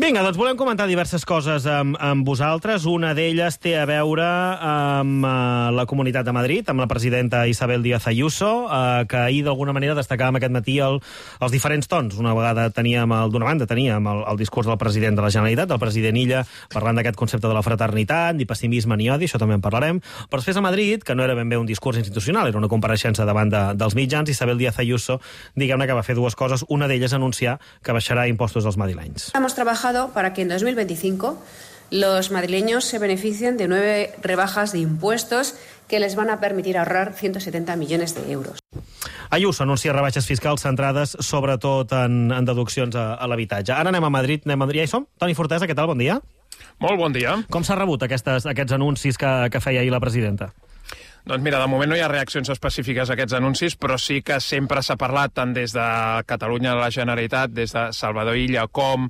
Vinga, doncs volem comentar diverses coses amb vosaltres. Una d'elles té a veure amb la Comunitat de Madrid, amb la presidenta Isabel Díaz Ayuso, que ahir d'alguna manera destacàvem aquest matí els diferents tons. D'una banda teníem el discurs del president de la Generalitat, del president Illa, parlant d'aquest concepte de la fraternitat, ni pessimisme ni odi, això també en parlarem. Però després a Madrid, que no era ben bé un discurs institucional, era una compareixença davant dels mitjans, Isabel Díaz Ayuso, diguem-ne que va fer dues coses. Una d'elles anunciar que baixarà impostos als madrilenys. Hemos trabajado para que en 2025 los madrileños se beneficien de 9 rebajas de impuestos que les van a permitir ahorrar 170 millones de euros. Ayuso anuncia rebaixes fiscals centrades sobretot en deduccions a l'habitatge. Ara anem a Madrid. Ja hi som? Toni Fortesa, què tal? Bon dia. Molt bon dia. Com s'ha rebut aquests anuncis que feia ahir la presidenta? Doncs mira, de moment no hi ha reaccions específiques a aquests anuncis, però sí que sempre s'ha parlat, tant des de Catalunya a la Generalitat, des de Salvador Illa, com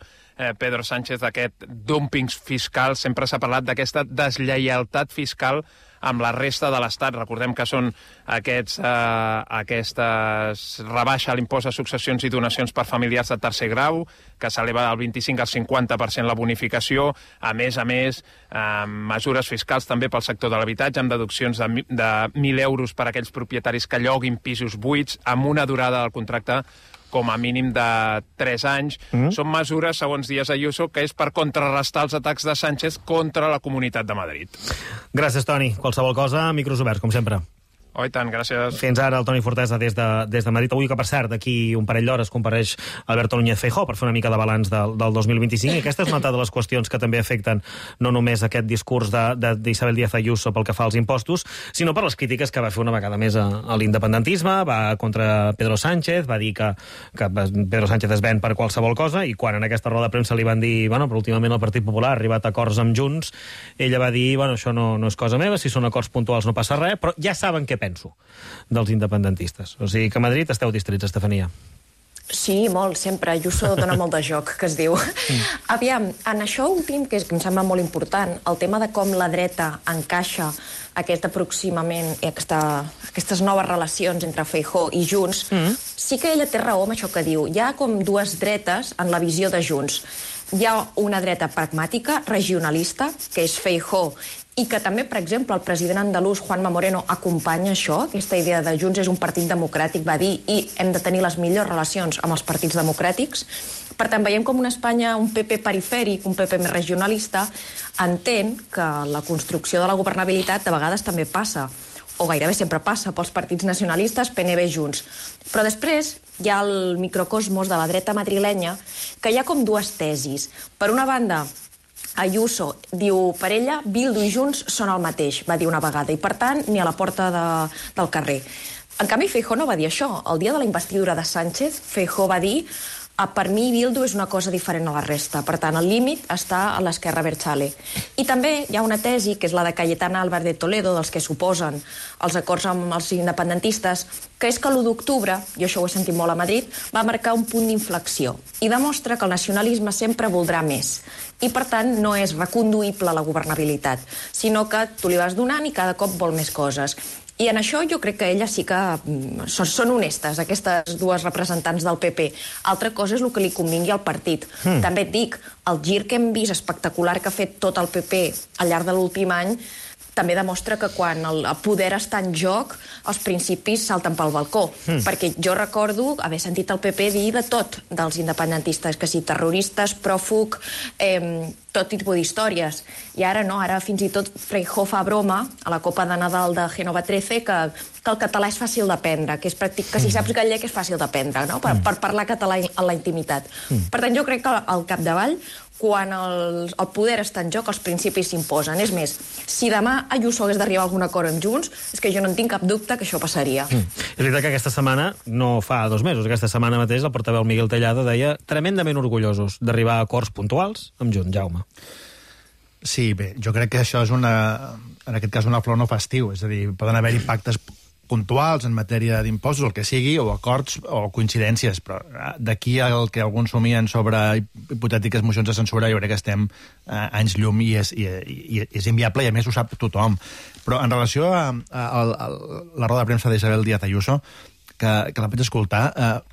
Pedro Sánchez, d'aquest dumping fiscal. Sempre s'ha parlat d'aquesta deslleialtat fiscal amb la resta de l'Estat. Recordem que són aquestes rebaixa a l'impost de successions i donacions per familiars de tercer grau, que s'eleva del 25 al 50% la bonificació, a més, mesures fiscals també pel sector de l'habitatge, amb deduccions de 1.000 euros per a aquells propietaris que lloguin pisos buits, amb una durada del contracte com a mínim de 3 anys. Són mesures, segons Díaz Ayuso, que és per contrarrestar els atacs de Sánchez contra la Comunitat de Madrid. Gràcies, Toni. Qualsevol cosa, micros oberts, com sempre. Oh, i tant, gràcies. Fins ara el Toni Fortesa des de Madrid. Avui, que per cert, d'aquí un parell d'hores compareix Alberto Núñez Feijóo per fer una mica de balanç del 2025. I aquesta és una altra de les qüestions que també afecten no només aquest discurs d'Isabel Díaz Ayuso pel que fa als impostos, sinó per les crítiques que va fer una vegada més a l'independentisme, va contra Pedro Sánchez, va dir que Pedro Sánchez es ven per qualsevol cosa, i quan en aquesta roda de premsa li van dir, però últimament el Partit Popular ha arribat a acords amb Junts, ella va dir, això no és cosa meva, si són acords puntuals no passa res, però ja saben què penso dels independentistes. O sigui que a Madrid esteu distrits, Estefania. Sí, molt, sempre. Ayuso dona molt de joc, que es diu. Aviam, en això últim, que em sembla molt important, el tema de com la dreta encaixa aquest aproximament, aquestes noves relacions entre Feijóo i Junts, sí que ella té raó amb això que diu. Hi ha com dues dretes en la visió de Junts. Hi ha una dreta pragmàtica, regionalista, que és Feijóo, i que també, per exemple, el president andalús, Juanma Moreno, acompanya això, aquesta idea de Junts és un partit democràtic, va dir, i hem de tenir les millors relacions amb els partits democràtics. Per tant, veiem com una Espanya, un PP perifèric, un PP més regionalista, entén que la construcció de la governabilitat de vegades també passa, o gairebé sempre passa, pels partits nacionalistes, PNB, Junts. Però després hi ha el microcosmos de la dreta madrilenya, que hi ha com dues tesis. Per una banda, Ayuso diu, per ella, Bildu i Junts són el mateix, va dir una vegada, i per tant, ni a la porta del carrer. En canvi, Feijóo no va dir això. El dia de la investidura de Sánchez, Feijóo va dir, per mi Bildu és una cosa diferent a la resta. Per tant, el límit està a l'esquerra abertzale. I també hi ha una tesi, que és la de Cayetana Álvarez de Toledo, dels que s'oposen als acords amb els independentistes, que és que l'1 d'octubre, i això ho he sentit molt a Madrid, va marcar un punt d'inflexió i demostra que el nacionalisme sempre voldrà més. I, per tant, no és reconduïble la governabilitat, sinó que tu li vas donant i cada cop vol més coses. I en això jo crec que elles sí que són honestes, aquestes dues representants del PP. Altra cosa és el que li convingui al partit. També et dic, el gir que hem vist espectacular que ha fet tot el PP al llarg de l'últim any també demostra que quan el poder està en joc, els principis salten pel balcó. Perquè jo recordo haver sentit el PP dir de tot dels independentistes, que si terroristes, pròfug, tot tipus d'històries. I ara no, ara fins i tot Feijóo fa broma a la Copa de Nadal de Génova 13 que el català és fàcil d'aprendre, que si saps gallec és fàcil d'aprendre, no? Per parlar català a la intimitat. Per tant, jo crec que al capdavall, quan el poder està en joc, els principis s'imposen. És més, si demà Ayuso hagués d'arribar a algun acord amb Junts, és que jo no en tinc cap dubte que això passaria. És veritat que aquesta setmana, no fa 2 mesos, aquesta setmana mateix, el portaveu Miguel Tellado deia tremendament orgullosos d'arribar a acords puntuals amb Junts. Jaume. Sí, bé, jo crec que això és en aquest cas una flor no festiu, és a dir, poden haver-hi pactes puntuals en matèria d'impostos, el que sigui, o acords o coincidències, però d'aquí al que alguns somien sobre hipotètiques mocions de censura, jo crec que estem anys llum i és inviable, i a més ho sap tothom. Però en relació a la roda de premsa d'Isabel Díaz Ayuso, que la vaig escoltar,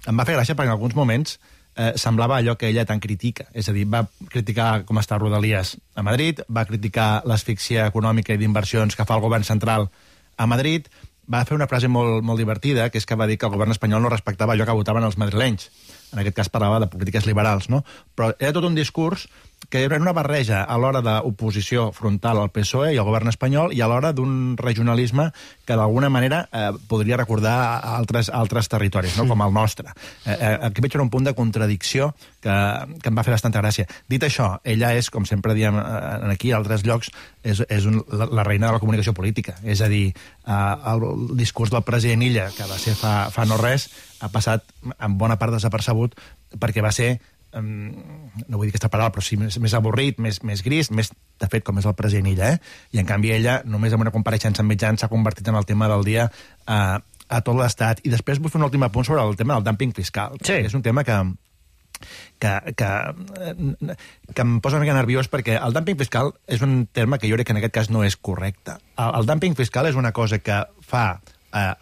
em va fer gràcia perquè en alguns moments semblava allò que ella tant critica. És a dir, va criticar com està Rodalies a Madrid, va criticar l'asfíxia econòmica i d'inversions que fa el govern central a Madrid, va fer una frase molt, molt divertida, que és que va dir que el govern espanyol no respectava allò que votaven els madrilenys. En aquest cas parlava de polítiques liberals, no? Però era tot un discurs que era una barreja a l'hora d'oposició frontal al PSOE i al govern espanyol i a l'hora d'un regionalisme que d'alguna manera podria recordar altres territoris, no? Com el nostre. Aquí veig un punt de contradicció que em va fer bastanta gràcia. Dit això, ella és, com sempre diem aquí, a altres llocs, és la reina de la comunicació política. És a dir, el discurs del president Illa, que va ser fa no res, ha passat en bona part desapercebut perquè va ser, no vull dir aquesta paraula, però sí més avorrit, més gris, més, de fet, com és el president Illa, I en canvi ella, només amb una compareixença en mitjans, s'ha convertit en el tema del dia a tot l'Estat. I després vull fer un últim apunt sobre el tema del dúmping fiscal. Sí. És un tema que em posa una mica nerviós perquè el dúmping fiscal és un terme que jo crec que en aquest cas no és correcte. El dúmping fiscal és una cosa que fa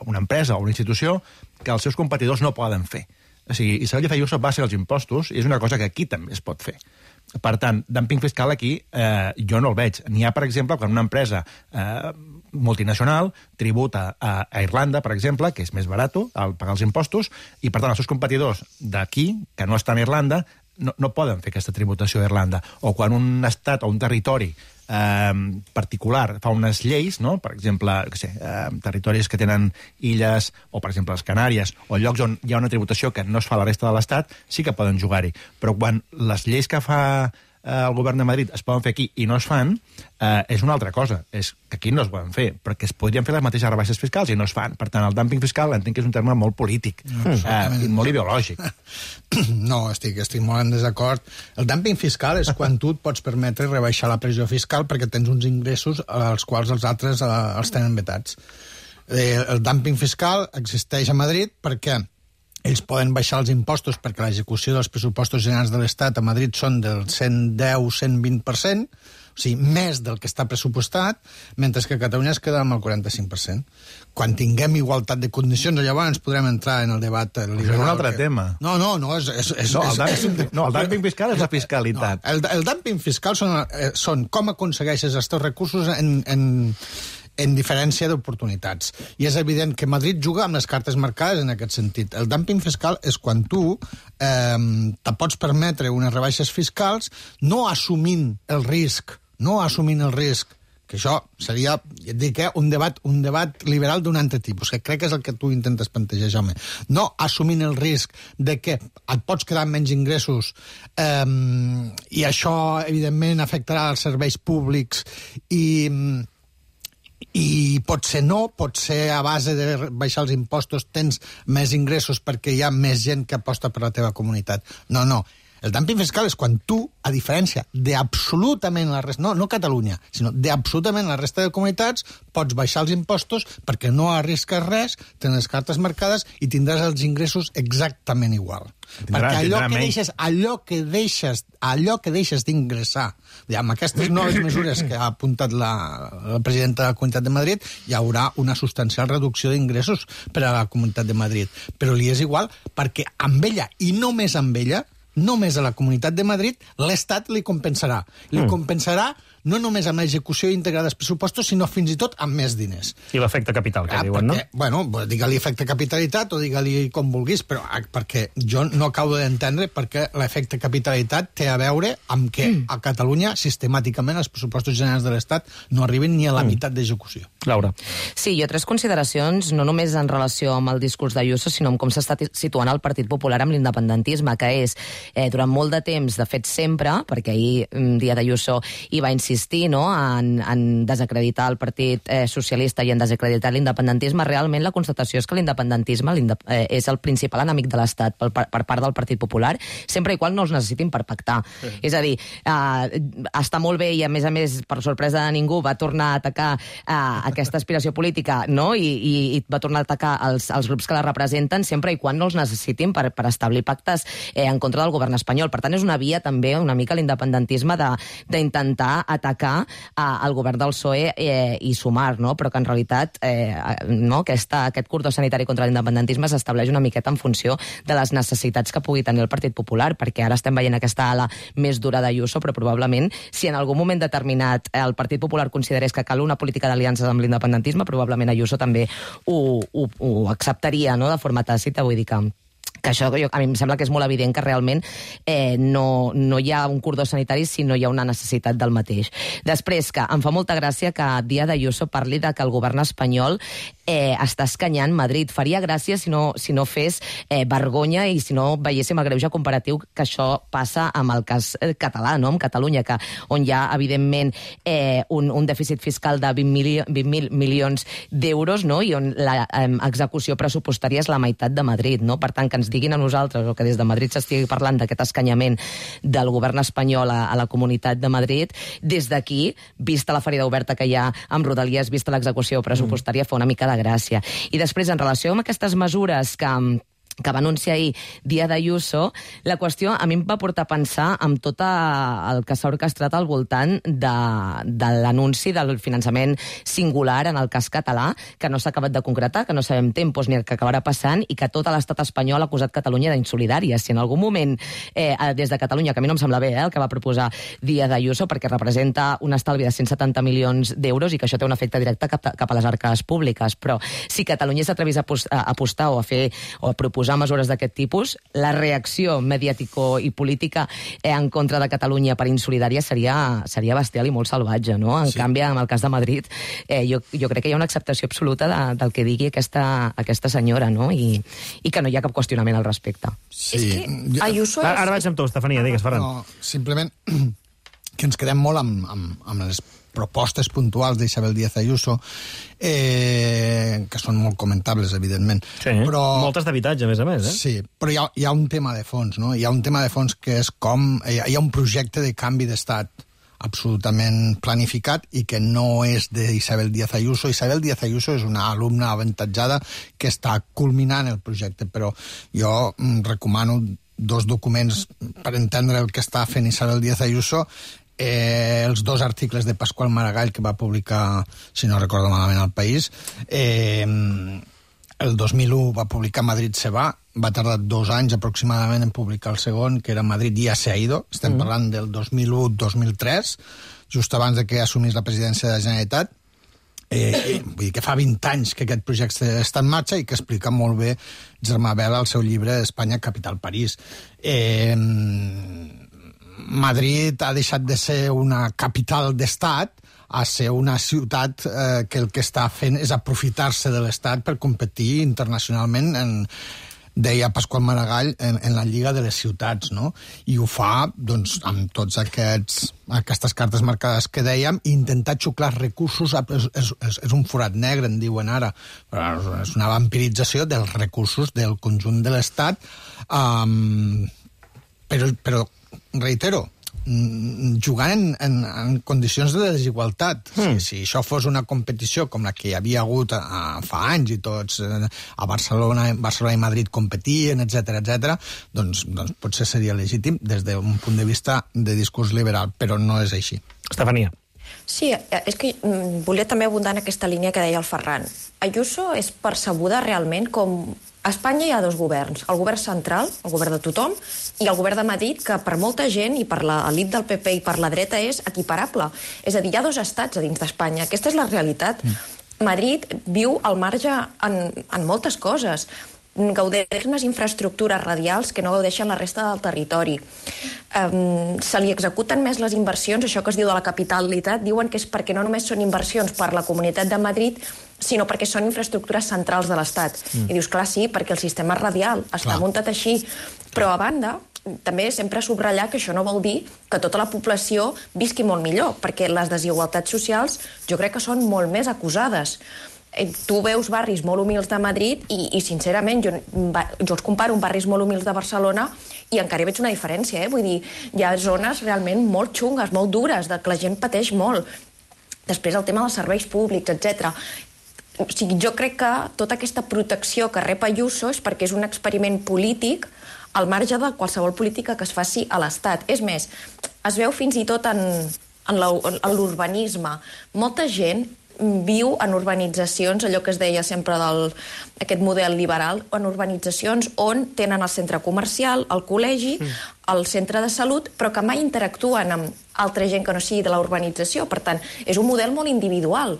una empresa o una institució que els seus competidors no poden fer. O sigui, Isabel Díaz Ayuso va ser els impostos i és una cosa que aquí també es pot fer. Per tant, dúmping fiscal aquí jo no el veig. N'hi ha, per exemple, quan una empresa multinacional tributa a Irlanda, per exemple, que és més barat al pagar els impostos, i per tant els seus competidors d'aquí, que no estan a Irlanda, no poden fer aquesta tributació a Irlanda. O quan un estat o un territori particular fa unes lleis, no? Per exemple, territoris que tenen illes, o per exemple les Canàries, o llocs on hi ha una tributació que no es fa a la resta de l'Estat, sí que poden jugar-hi. Però quan les lleis que fa el govern de Madrid es poden fer aquí i no es fan, és una altra cosa. És que aquí no es poden fer, perquè es podrien fer les mateixes rebaixes fiscals i no es fan. Per tant, el dúmping fiscal entenc que és un terme molt polític i molt ideològic. No, estic molt en desacord. El dúmping fiscal és quan tu et pots permetre rebaixar la pressió fiscal perquè tens uns ingressos als quals els altres els tenen vetats. El dúmping fiscal existeix a Madrid perquè ells poden baixar els impostos perquè l'execució dels pressupostos generals de l'Estat a Madrid són del 110-120%, o sigui, més del que està pressupostat, mentre que a Catalunya es queda amb el 45%. Quan tinguem igualtat de condicions, llavors podrem entrar en el debat liberal. És un altre tema. No, el dúmping fiscal és la fiscalitat. El dúmping fiscal són com aconsegueixes els teus recursos en diferència d'oportunitats. I és evident que Madrid juga amb les cartes marcades en aquest sentit. El dúmping fiscal és quan tu te pots permetre unes rebaixes fiscals no assumint el risc, que això seria, ja et dic, un debat liberal d'un altre tipus, que crec que és el que tu intentes plantejar, Jaume. No assumint el risc de que et pots quedar amb menys ingressos i això, evidentment, afectarà els serveis públics i potser no, potser a base de baixar els impostos tens més ingressos perquè hi ha més gent que aposta per la teva comunitat. No. El dúmping fiscal és quan tu, a diferència d'absolutament la resta, no Catalunya, sinó d'absolutament la resta de comunitats, pots baixar els impostos perquè no arrisques res, tens les cartes marcades i tindràs els ingressos exactament igual. Perquè allò que deixes d'ingressar, amb aquestes noves mesures que ha apuntat la presidenta de la Comunitat de Madrid, hi haurà una substancial reducció d'ingressos per a la Comunitat de Madrid. Però li és igual perquè amb ella, i només amb ella, només a la Comunitat de Madrid, l'Estat li compensarà. Li compensarà no només amb l'execució íntegra dels pressupostos, sinó fins i tot amb més diners. I l'efecte capital, que diuen, no? Bueno, digue-li efecte capitalitat o digue-li com vulguis, però perquè jo no acabo d'entendre perquè l'efecte capitalitat té a veure amb que a Catalunya sistemàticament els pressupostos generals de l'Estat no arriben ni a la meitat d'execució. Laura. Sí, jo tres consideracions, no només en relació amb el discurs d'Ayuso, sinó amb com s'està situant el Partit Popular amb l'independentisme, que és, durant molt de temps, de fet sempre, perquè ahir, dia d'Ayuso, hi va insistir, en desacreditar el Partit Socialista i en desacreditar l'independentisme. Realment la constatació és que l'independentisme és el principal enemic de l'Estat per part del Partit Popular, sempre i qual no els necessitin per pactar. És a dir, està molt bé i a més, per sorpresa de ningú, va tornar a atacar aquesta aspiració política, no? I va tornar a atacar els grups que la representen sempre i quan no els necessitin per establir pactes en contra del govern espanyol. Per tant, és una via també una mica l'independentisme d'intentar atacar atacar al govern del PSOE i Sumar, no? Però que en realitat aquest cordó sanitari contra l'independentisme s'estableix una miqueta en funció de les necessitats que pugui tenir el Partit Popular, perquè ara estem veient aquesta ala més dura d'Ayuso, però probablement si en algun moment determinat el Partit Popular considerés que cal una política d'aliances amb l'independentisme, probablement Ayuso també ho acceptaria, no?, de forma tàcita. Vull dir que això a mi em sembla que és molt evident que realment no hi ha un cordó sanitari si no hi ha una necessitat del mateix. Després, que em fa molta gràcia que Díaz Ayuso parli de que el govern espanyol està escanyant Madrid. Faria gràcia si no fes vergonya i si no veiéssim el greuge comparatiu que això passa amb el cas català, no?, amb Catalunya, on hi ha, evidentment, un dèficit fiscal de 20.000 milions d'euros, no?, i on l'execució pressupostària és la meitat de Madrid, no? Per tant, que ens diguin a nosaltres, o que des de Madrid s'estigui parlant d'aquest escanyament del govern espanyol a la Comunitat de Madrid, des d'aquí, vista la ferida oberta que hi ha amb Rodalies, vista l'execució pressupostària, fa una mica de gràcia. I després, en relació amb aquestes mesures que va anunciar ahir Díaz Ayuso, la qüestió a mi em va portar a pensar amb tot el que s'ha orquestrat al voltant de l'anunci del finançament singular en el cas català, que no s'ha acabat de concretar, que no sabem tempos ni el que acabarà passant, i que tot l'estat espanyol ha acusat Catalunya d'insolidària. Si en algun moment, des de Catalunya, que a mi no em sembla bé el que va proposar Díaz Ayuso, perquè representa un estalvi de 170 milions d'euros i que això té un efecte directe cap a les arques públiques, però si Catalunya s'atrevís a apostar o a proposar mesures d'aquest tipus, la reacció mediàtico i política en contra de Catalunya per insolidària seria bestial i molt salvatge, no? En canvi, en el cas de Madrid, jo crec que hi ha una acceptació absoluta del que digui aquesta senyora, no? I que no hi ha cap qüestionament al respecte. Sí. És que Ayuso... Ara vaig amb tu, Estefania, digues, Ferran. No, simplement que ens quedem molt amb les propostes puntuals d'Isabel Díaz Ayuso, que són molt comentables, evidentment. Sí, però... moltes d'habitatge, a més, Sí, però hi ha un tema de fons, no? Hi ha un tema de fons que és com... Hi ha un projecte de canvi d'estat absolutament planificat i que no és d'Isabel Díaz Ayuso. Isabel Díaz Ayuso és una alumna avantatjada que està culminant el projecte, però jo recomano 2 documents per entendre el que està fent Isabel Díaz Ayuso. Els 2 articles de Pasqual Maragall que va publicar, si no recordo malament, al País. El 2001 va publicar Madrid se va tardar 2 anys aproximadament en publicar el segon, que era Madrid ya se ha ido. Estem parlant del 2001-2003, just abans de que assumís la presidència de la Generalitat. Vull dir que fa 20 anys que aquest projecte està en marxa i que explica molt bé Germà Bel al seu llibre Espanya, capital París. Madrid ha deixat de ser una capital d'estat a ser una ciutat que el que està fent és aprofitar-se de l'estat per competir internacionalment deia Pasqual Maragall, en la Lliga de les Ciutats, no? I ho fa, doncs, amb tots aquestes cartes marcades que dèiem, intentar xuclar recursos, és un forat negre, en diuen ara, però és una vampirització dels recursos del conjunt de l'Estat, però reitero, jugant en condicions de desigualtat. Si això fos una competició com la que hi havia hagut fa anys i tots a Barcelona i Madrid competien, etc., doncs potser seria legítim des d'un punt de vista de discurs liberal, però no és així. Estefania. Sí, és que volia també abundar en aquesta línia que deia el Ferran. Ayuso és percebuda realment com... A Espanya hi ha 2 governs, el govern central, el govern de tothom, i el govern de Madrid, que per molta gent i per l'elit del PP i per la dreta és equiparable. És a dir, hi ha 2 estats a dins d'Espanya. Aquesta és la realitat. Madrid viu al marge en moltes coses. Gaudeix unes infraestructures radials que no gaudeixen la resta del territori. Se li executen més les inversions, això que es diu de la capitalitat, diuen que és perquè no només són inversions per la Comunitat de Madrid, sinó perquè són infraestructures centrals de l'Estat. I dius, clar, sí, perquè el sistema radial està muntat així. Però, a banda, també sempre subratllar que això no vol dir que tota la població visqui molt millor, perquè les desigualtats socials jo crec que són molt més acusades. Tu veus barris molt humils de Madrid i sincerament, jo els comparo amb barris molt humils de Barcelona i encara hi veig una diferència, Vull dir, hi ha zones realment molt xungues, molt dures, que la gent pateix molt. Després el tema dels serveis públics, etc. O sigui, jo crec que tota aquesta protecció que rep Ayuso és perquè és un experiment polític al marge de qualsevol política que es faci a l'Estat. És més, es veu fins i tot en en l'urbanisme. Molta gent viu en urbanitzacions, allò que es deia sempre d'aquest model liberal, en urbanitzacions on tenen el centre comercial, el col·legi, el centre de salut, però que mai interactuen amb altra gent que no sigui de la urbanització. Per tant, és un model molt individual,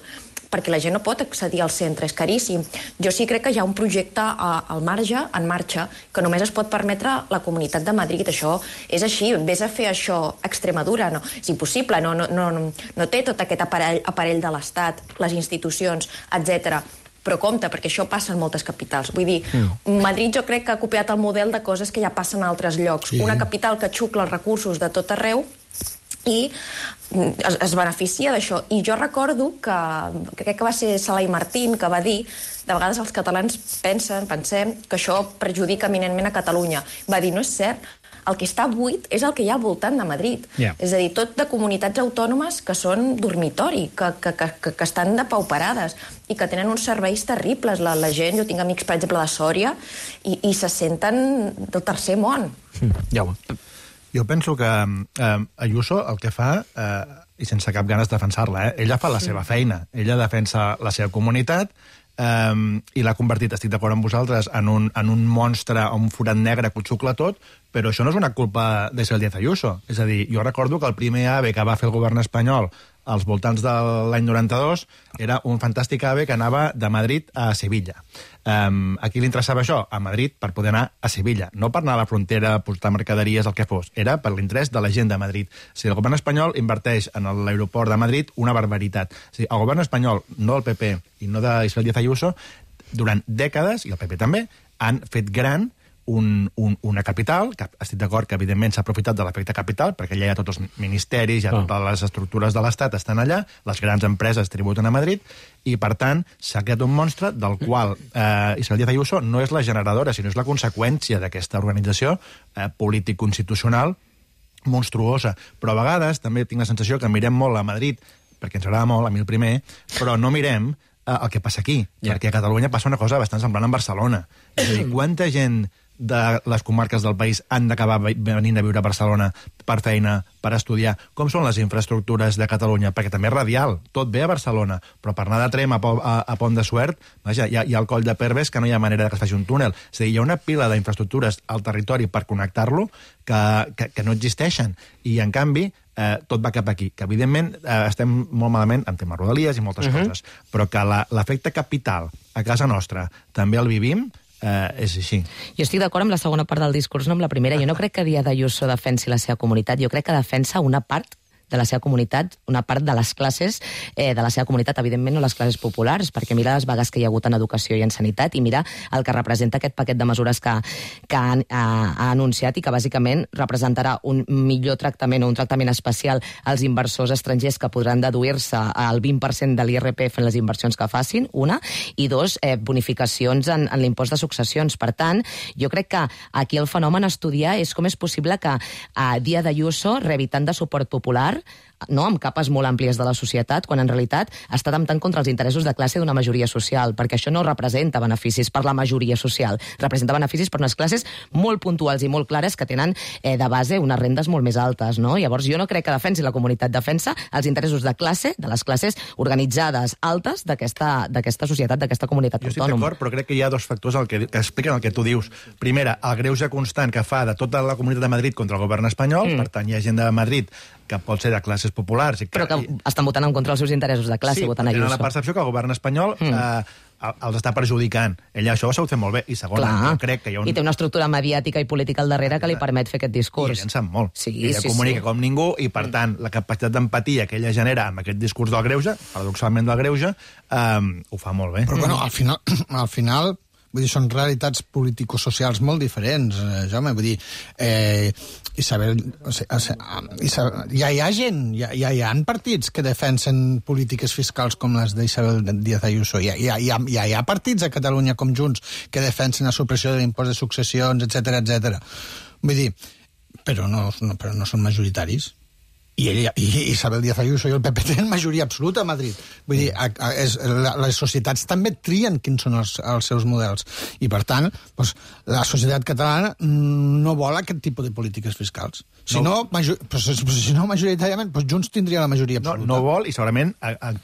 perquè la gent no pot accedir al centre, és caríssim. Jo sí crec que hi ha un projecte al marge, en marxa, que només es pot permetre la Comunitat de Madrid. Això és així, vés a fer això a Extremadura, no, és impossible, no té tot aquest aparell de l'Estat, les institucions, etc. Però compte, perquè això passa en moltes capitals. Vull dir, Madrid jo crec que ha copiat el model de coses que ja passen a altres llocs. Sí. Una capital que xucla els recursos de tot arreu i es beneficia d'això. I jo recordo que crec que va ser Salai Martín que va dir, de vegades els catalans pensem que això perjudica eminentment a Catalunya. Va dir, no és cert, el que està buit és el que hi ha al voltant de Madrid. És a dir, tot de comunitats autònomes que són dormitori, que estan depauperades i que tenen uns serveis terribles. La gent, jo tinc amics, per exemple, de Sòria, i se senten del tercer món. Jo penso que Ayuso el que fa, i sense cap ganes de defensar-la, ella fa la seva feina, ella defensa la seva comunitat i l'ha convertit, estic d'acord amb vosaltres, en un monstre, un forat negre que ho xucla tot, però això no és una culpa d'Isabel Díaz Ayuso. És a dir, jo recordo que el primer AVE que va fer el govern espanyol als voltants de l'any 92 era un fantàstic AVE que anava de Madrid a Sevilla. A qui li interessava això? A Madrid, per poder anar a Sevilla. No per anar a la frontera, portar mercaderies, el que fos. Era per l'interès de la gent de Madrid. Si el govern espanyol inverteix en l'aeroport de Madrid una barbaritat. El govern espanyol, no del PP i no d'Isabel Díaz Ayuso, durant dècades, i el PP també, han fet gran una capital, que estic d'acord que evidentment s'ha aprofitat de l'efecte capital, perquè allà hi ha tots els ministeris, hi ha totes les estructures de l'Estat estan allà, les grans empreses tributen a Madrid, i per tant s'ha creat un monstre del qual Isabel Díaz Ayuso no és la generadora, sinó és la conseqüència d'aquesta organització polític-constitucional monstruosa. Però a vegades també tinc la sensació que mirem molt a Madrid, perquè ens agrada molt, a mi el primer, però no mirem el que passa aquí, perquè a Catalunya passa una cosa bastant semblant en Barcelona. És a dir, quanta gent de les comarques del país han d'acabar venint a viure a Barcelona per feina, per estudiar? Com són les infraestructures de Catalunya? Perquè també és radial, tot ve a Barcelona, però per anar de Trem a Pont de Suert, vaja, hi ha el coll de Perves que no hi ha manera que es faci un túnel. És a dir, hi ha una pila d'infraestructures al territori per connectar-lo que no existeixen. I, en canvi, tot va cap aquí. Que, evidentment, estem molt malament en temes rodalies i moltes coses, però que l'efecte capital a casa nostra també el vivim, és així. Jo estic d'acord amb la segona part del discurs, no amb la primera. Jo no crec que Díaz Ayuso defensi la seva comunitat, jo crec que defensa una part de la seva comunitat, una part de les classes de la seva comunitat, evidentment no les classes populars, perquè mira les vagues que hi ha hagut en educació i en sanitat i mira el que representa aquest paquet de mesures que ha anunciat i que bàsicament representarà un millor tractament o un tractament especial als inversors estrangers que podran deduir-se el 20% de l'IRPF en les inversions que facin, una, i dos, bonificacions en l'impost de successions. Per tant, jo crec que aquí el fenomen a estudiar és com és possible que Díaz Ayuso rebi tant de suport popular, no, amb capes molt àmplies de la societat, quan en realitat està temptant contra els interessos de classe d'una majoria social, perquè això no representa beneficis per la majoria social, representa beneficis per unes classes molt puntuals i molt clares que tenen de base unes rendes molt més altes, no? Llavors jo no crec que defensi la comunitat, defensa els interessos de classe, de les classes organitzades altes d'aquesta societat, d'aquesta comunitat autònoma. Jo estic d'acord, però crec que hi ha dos factors que expliquen el que tu dius. Primera, el greuge constant que fa de tota la Comunitat de Madrid contra el govern espanyol, per tant hi ha gent de Madrid que pot ser de classes populars. Però que estan votant en contra dels seus interessos de classe, votant Ayuso. Sí, tenen la percepció que el govern espanyol els està perjudicant. Ella això ho ha sabut fer molt bé. I segon, jo crec que hi ha I té una estructura mediàtica i política al darrere que li permet fer aquest discurs. I ella en sap molt. Sí, ella comunica com ningú i, per tant, la capacitat d'empatia que ella genera amb aquest discurs del greuge, paradoxalment del greuge, ho fa molt bé. Però, bueno, al final vull dir, són realitats político-socials molt diferents, Jaume. Vull dir, ja hi ha gent, ja hi ha partits que defensen polítiques fiscals com les d'Isabel Díaz Ayuso. Ja hi ha partits a Catalunya com Junts que defensen la supressió de l'impost de successions, etc etc. Vull dir, però no són majoritaris. I Isabel Díaz Ayuso i el PP tenen majoria absoluta a Madrid. Vull dir, les societats també trien quins són els seus models. I, per tant, doncs, la societat catalana no vol aquest tipus de polítiques fiscals. Si no, majoritàriament, doncs Junts tindria la majoria absoluta. No vol, i segurament,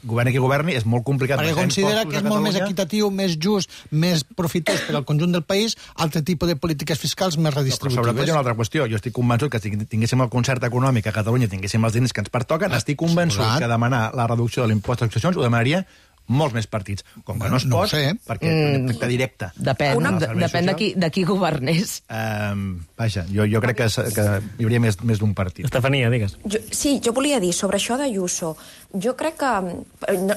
governi qui governi, és molt complicat. Perquè considera que és molt més equitatiu, més just, més profitós per al conjunt del país, altre tipus de polítiques fiscals més redistributives. Però sobretot hi ha una altra qüestió. Jo estic convençut que si tinguéssim el concert econòmic a Catalunya, tinguéssim els diners que ens pertoquen, estic convençut que demanar la reducció de l'impost de successions ho demanaria molts més partits. Com que no es pot, perquè efecte directe. Depèn de qui governés. Vaja, jo crec que hi hauria més d'un partit. Estefania, digues. Sí, jo volia dir sobre això d'Ayuso. Jo crec que,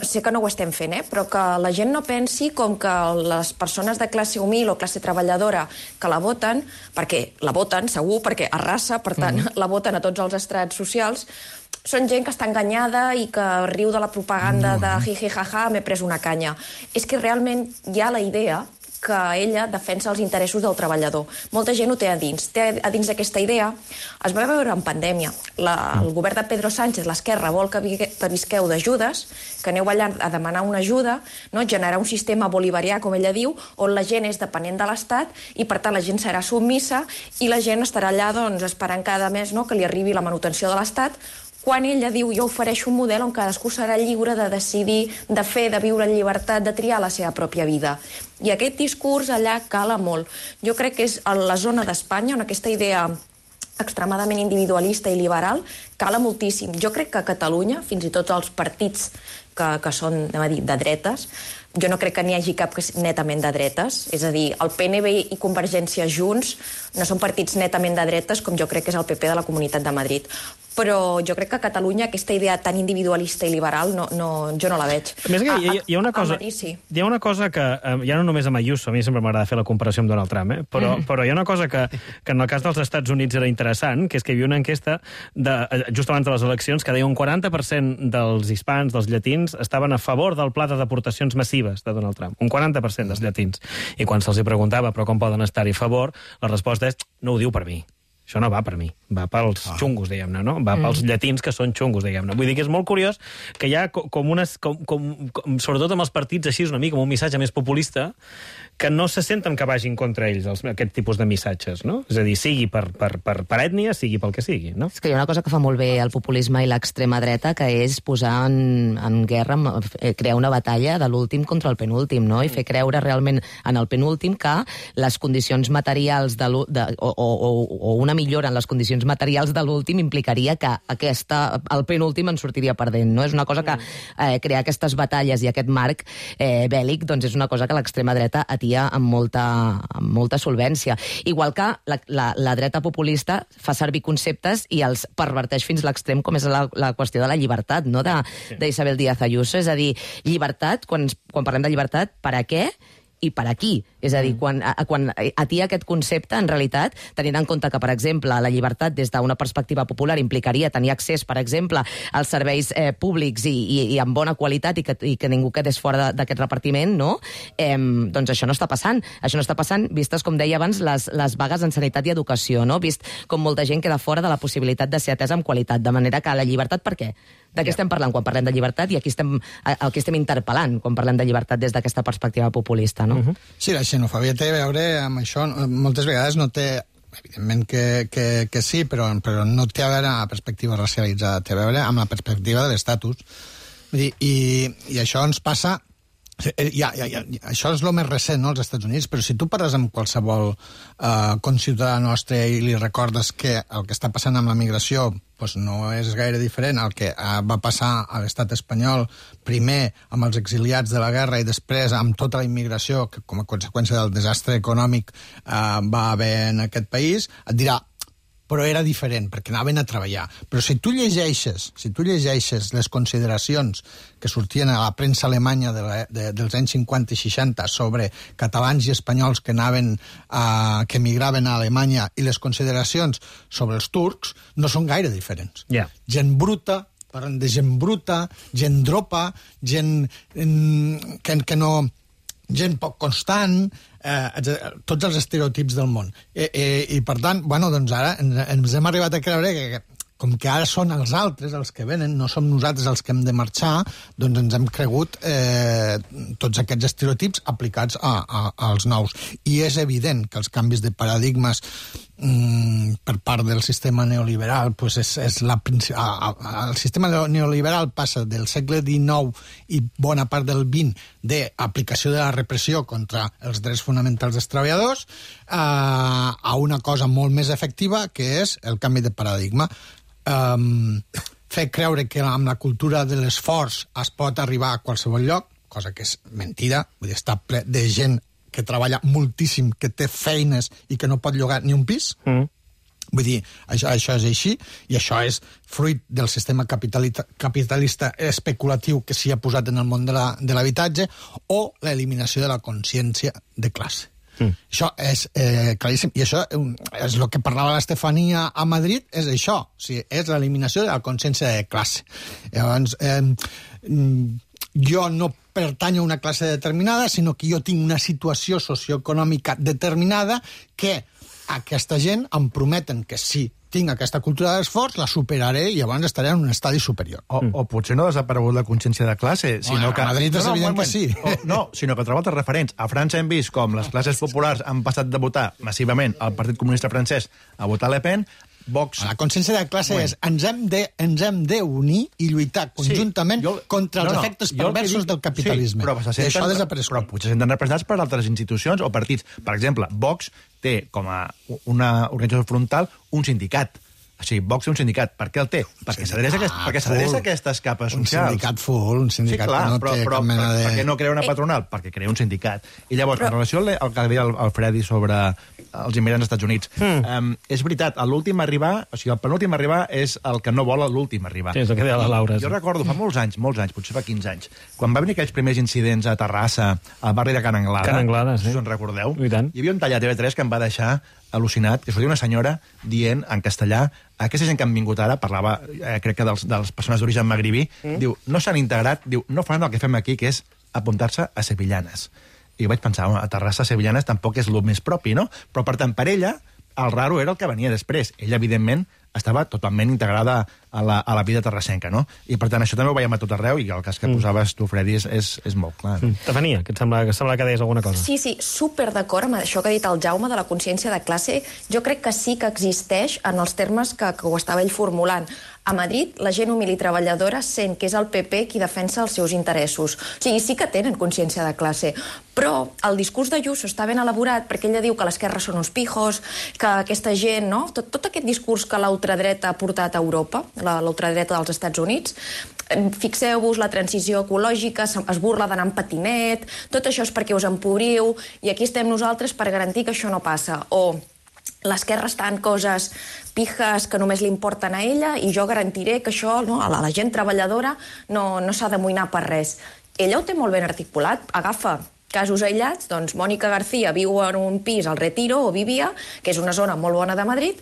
sé que no ho estem fent, però que la gent no pensi com que les persones de classe humil o classe treballadora que la voten, perquè la voten, segur, perquè arrasa, per tant, la voten a tots els estrats socials, són gent que està enganyada i que riu de la propaganda de jiji, jaja, m'he pres una canya. És que realment hi ha la idea que ella defensa els interessos del treballador. Molta gent ho té a dins. Té a dins aquesta idea. Es va veure en pandèmia. El govern de Pedro Sánchez, l'esquerra, vol que visqueu d'ajudes, que aneu allà a demanar una ajuda, generar un sistema bolivarià, com ella diu, on la gent és dependent de l'Estat i, per tant, la gent serà submissa i la gent estarà allà esperant cada mes que li arribi la manutenció de l'Estat, quan ella diu jo ofereixo un model on cadascú serà lliure de decidir, de fer, de viure en llibertat, de triar la seva pròpia vida. I aquest discurs allà cala molt. Jo crec que és a la zona d'Espanya on aquesta idea extremadament individualista i liberal cala moltíssim. Jo crec que a Catalunya, fins i tot els partits que són, anem a dir, de dretes, jo no crec que n'hi hagi cap que netament de dretes. És a dir, el PNB i Convergència Junts no són partits netament de dretes com jo crec que és el PP de la Comunitat de Madrid. Però jo crec que a Catalunya aquesta idea tan individualista i liberal jo no la veig. A més, hi ha una cosa, hi ha una cosa que, ja no només amb Ayuso, a mi sempre m'agrada fer la comparació amb Donald Trump, però hi ha una cosa que en el cas dels Estats Units era interessant, que és que hi havia una enquesta just abans de les eleccions que deia un 40% dels hispans, dels llatins, estaven a favor del pla de deportacions massives de Donald Trump. Un 40% dels llatins. I quan se'ls preguntava però com poden estar-hi a favor, la resposta és no ho diu per mi. Això no va per mi, va pels xungos, diguem-ne, no? Va pels llatins que són xungos, diguem-ne. Vull dir que és molt curiós que hi ha sobretot amb els partits així, una mica, amb un missatge més populista, que no se senten que vagin contra ells, aquest tipus de missatges, no? És a dir, sigui per ètnia, sigui pel que sigui, no? És que hi ha una cosa que fa molt bé el populisme i l'extrema dreta, que és posar en guerra, crear una batalla de l'últim contra el penúltim, no? I fer creure realment en el penúltim que les condicions materials o una millora en les condicions materials de l'últim implicaria que el penúltim en sortiria perdent, no? És una cosa que crear aquestes batalles i aquest marc bèl·lic, doncs és una cosa que l'extrema dreta atia amb molta solvència. Igual que la dreta populista fa servir conceptes i els perverteix fins a l'extrem, com és la qüestió de la llibertat, no? d'Isabel Díaz Ayuso. És a dir, llibertat, quan parlem de llibertat, per a què i per aquí. És a dir, quan atia aquest concepte, en realitat, tenint en compte que, per exemple, la llibertat des d'una perspectiva popular implicaria tenir accés, per exemple, als serveis públics i amb bona qualitat i que ningú quedés fora d'aquest repartiment, no? Doncs això no està passant. Això no està passant, vistes, com deia abans, les vagues en sanitat i educació, no? Vist com molta gent queda fora de la possibilitat de ser atesa amb qualitat. De manera que la llibertat, per què? De què estem parlant quan parlem de llibertat i el que estem interpel·lant quan parlem de llibertat des d'aquesta perspectiva populista, no? Sí, la xenofòbia té a veure amb això. Moltes vegades no té... Evidentment que sí, però no té a veure amb la perspectiva racialitzada, té a veure amb la perspectiva de l'estatus. I això ens passa... això és el més recent, no?, als Estats Units, però si tu parles amb qualsevol conciutadà nostre i li recordes que el que està passant amb la migració no és gaire diferent al que va passar a l'estat espanyol, primer amb els exiliats de la guerra i després amb tota la immigració que com a conseqüència del desastre econòmic va haver en aquest país, et dirà però era diferent, perquè anaven a treballar. Però si tu llegeixes les consideracions que sortien a la premsa alemanya dels anys 50 i 60 sobre catalans i espanyols que emigraven a Alemanya i les consideracions sobre els turcs, no són gaire diferents. Gent bruta, parlen de gent bruta, gent dropa, gent que no... gent poc constant, tots els estereotips del món. I per tant, doncs ara ens hem arribat a creure que com que ara són els altres els que venen, no som nosaltres els que hem de marxar, doncs ens hem cregut tots aquests estereotips aplicats als nous. I és evident que els canvis de paradigmes per part del sistema neoliberal, pues el sistema neoliberal passa del segle XIX i bona part del XX d'aplicació de la repressió contra els drets fonamentals dels treballadors a una cosa molt més efectiva, que és el canvi de paradigma. Fer creure que amb la cultura de l'esforç es pot arribar a qualsevol lloc, cosa que és mentida, vull dir, està ple de gent que treballa moltíssim, que té feines i que no pot llogar ni un pis. Vull dir, això és així, i això és fruit del sistema capitalista especulatiu que s'hi ha posat en el món de l'habitatge, o l'eliminació de la consciència de classe. Això és claríssim, i això és el que parlava l'Estefania a Madrid, és això, o sigui, és l'eliminació de la consciència de classe. Llavors, jo no pertanyo a una classe determinada, sinó que jo tinc una situació socioeconòmica determinada que aquesta gent em prometen que si tinc aquesta cultura d'esforç, la superaré i llavors estaré en un estadi superior. O potser no ha desaparegut la consciència de classe, sinó que... A Madrid és evident que sí. No, sinó que troba altres referents. A França hem vist com les classes populars han passat de votar massivament al Partit Comunista francès a votar Le Pen. Vox... La consciència de classe és ens hem d'unir i lluitar conjuntament contra els efectes perversos del capitalisme. Sí, però això ha desaparegut. Però potser senten representats per altres institucions o partits. Per exemple, Vox té com a una organització frontal un sindicat. O sigui, Vox té un sindicat. Per què el té? Perquè s'adreça a aquestes capes socials. Un sindicat que no té cap mena de... Per què no crea una patronal? Perquè crea un sindicat. I llavors, en relació al que deia el Freddy sobre els immigrants als Estats Units, és veritat, l'últim a arribar, o sigui, el penúltim a arribar és el que no vol l'últim a arribar. Sí, és el que deia la Laura. Jo recordo, fa molts anys, potser fa 15 anys, quan va venir aquells primers incidents a Terrassa, al barri de Can Anglada, sí. Si us en recordeu, hi havia un tall a TV3 que em va deixar al·lucinat, que sortia una senyora dient en castellà, aquesta gent que han vingut ara, parlava, crec que dels persones d'origen magribí, diu, no s'han integrat, diu, no fan el que fem aquí, que és apuntar-se a sevillanes. I vaig pensar, a Terrassa sevillanes tampoc és el més propi, no? Però, per tant, per ella, el raro era el que venia després. Ella, evidentment, estava totalment integrada a la vida terrassenca, no? I, per tant, això també ho veiem a tot arreu, i el cas que posaves tu, Freddy, és molt clar. Estefania, que et sembla que deies alguna cosa? Sí, super d'acord amb això que ha dit el Jaume de la consciència de classe. Jo crec que sí que existeix en els termes que ho estava ell formulant. A Madrid, la gent humil i treballadora sent que és el PP qui defensa els seus interessos. O sigui, sí que tenen consciència de classe. Però el discurs d'Ayuso està ben elaborat perquè ella diu que l'esquerra són uns pijos, que aquesta gent, no? Tot aquest discurs que l'ultradreta ha portat a Europa, l'ultradreta dels Estats Units, fixeu-vos, la transició ecològica, es burla d'anar en patinet, tot això és perquè us empobriu, i aquí estem nosaltres per garantir que això no passa. O l'esquerra està en coses pijes que només li importen a ella i jo garantiré que això, no, a la gent treballadora no s'ha d'amoïnar per res. Ella ho té molt ben articulat, agafa casos aïllats, doncs Mònica García viu en un pis al Retiro, o vivia, que és una zona molt bona de Madrid,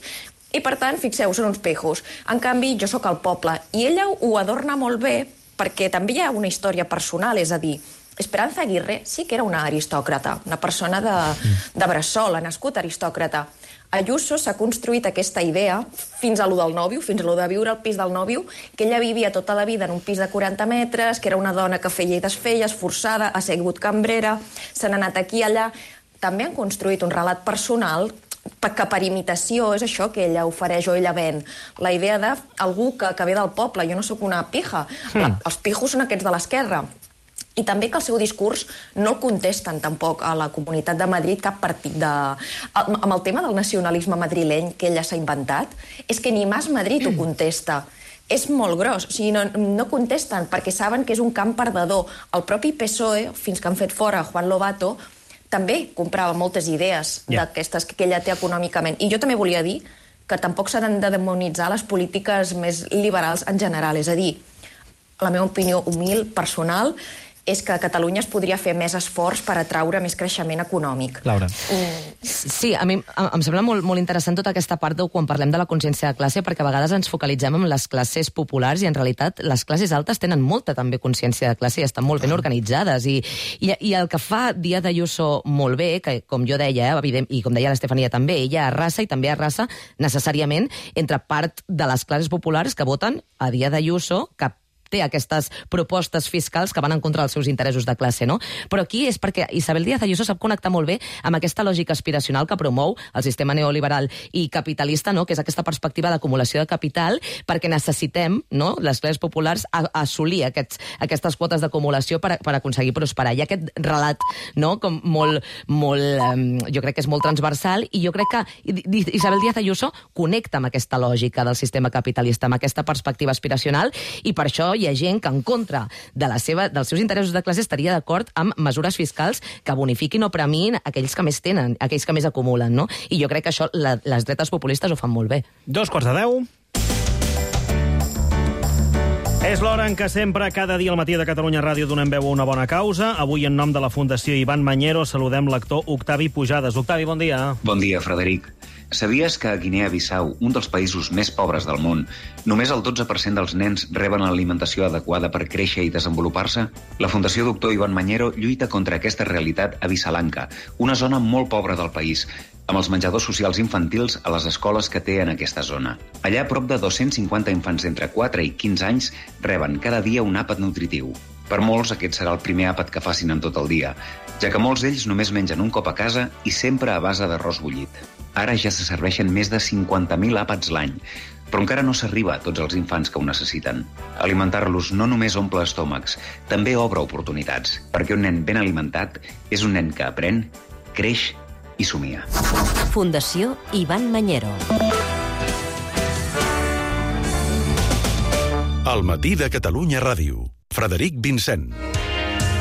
i per tant, fixeu, són uns pejos. En canvi, jo sóc al poble. I ella ho adorna molt bé perquè també hi ha una història personal, és a dir, Esperanza Aguirre sí que era una aristòcrata, una persona de Bressola, nascut aristòcrata. Ayuso s'ha construït aquesta idea fins a lo del nòvio, fins a lo de viure al pis del nòvio, que ella vivia tota la vida en un pis de 40 metres, que era una dona que feia i desfeia, esforçada, ha sigut cambrera, se n'ha anat aquí i allà. També han construït un relat personal que per imitació és això que ella ofereix o ella ven. La idea d'algú que ve del poble. Jo no sóc una pija. Els pijos són aquests de l'esquerra. I també que el seu discurs no el contesten tampoc a la Comunitat de Madrid cap partit de... Amb el tema del nacionalisme madrileny que ella s'ha inventat, és que ni Mas Madrid ho contesta. És molt gros, o sigui, no contesten perquè saben que és un camp perdedor. El propi PSOE, fins que han fet fora Juan Lobato, també comprava moltes idees d'aquestes que ella té econòmicament. I jo també volia dir que tampoc s'han de demonitzar les polítiques més liberals en general. És a dir, la meva opinió humil, personal, és que a Catalunya es podria fer més esforç per atraure més creixement econòmic. Laura. Sí, a mi em sembla molt interessant tota aquesta part de quan parlem de la consciència de classe, perquè a vegades ens focalitzem en les classes populars i en realitat les classes altes tenen molta també consciència de classe i estan molt ben organitzades. I el que fa Díaz Ayuso molt bé, que com jo deia, evident, i com deia l'Estefania també, ella arrasa i també arrasa necessàriament entre part de les classes populars que voten a Díaz Ayuso, que té aquestes propostes fiscals que van en contra dels seus interessos de classe, no? Però aquí és perquè Isabel Díaz Ayuso sap connectar molt bé amb aquesta lògica aspiracional que promou el sistema neoliberal i capitalista, no? Que és aquesta perspectiva d'acumulació de capital, perquè necessitem, no?, les classes populars, assolir aquestes quotes d'acumulació per aconseguir prosperar. I aquest relat, no?, com molt, jo crec que és molt transversal, i jo crec que Isabel Díaz Ayuso connecta amb aquesta lògica del sistema capitalista, amb aquesta perspectiva aspiracional, i per això hi ha gent que en contra dels seus interessos de classe estaria d'acord amb mesures fiscals que bonifiquin o premin aquells que més tenen, aquells que més acumulen, no? I jo crec que això les dretes populistes ho fan molt bé. 9:45. És l'hora en què sempre, cada dia al matí de Catalunya Ràdio, donem veu a una bona causa. Avui, en nom de la Fundació Ivan Mañero, saludem l'actor Octavi Pujades. Octavi, bon dia. Bon dia, Frederic. Sabies que a Guinea-Bissau, un dels països més pobres del món, només el 12% dels nens reben l'alimentació adequada per créixer i desenvolupar-se? La Fundació Doctor Ivan Mañero lluita contra aquesta realitat a Visalanka, una zona molt pobra del país, amb els menjadors socials infantils a les escoles que té en aquesta zona. Allà, prop de 250 infants d'entre 4 i 15 anys reben cada dia un àpat nutritiu. Per molts, aquest serà el primer àpat que facin en tot el dia, ja que molts d'ells només mengen un cop a casa i sempre a base d'arròs bullit. Ara ja se serveixen més de 50.000 àpats l'any, però encara no s'arriba a tots els infants que ho necessiten. Alimentar-los no només omple estómacs, també obre oportunitats, perquè un nen ben alimentat és un nen que aprèn, creix i somia. Fundació Ivan Mañero. Al matí de Catalunya Ràdio. Frederic Vincent.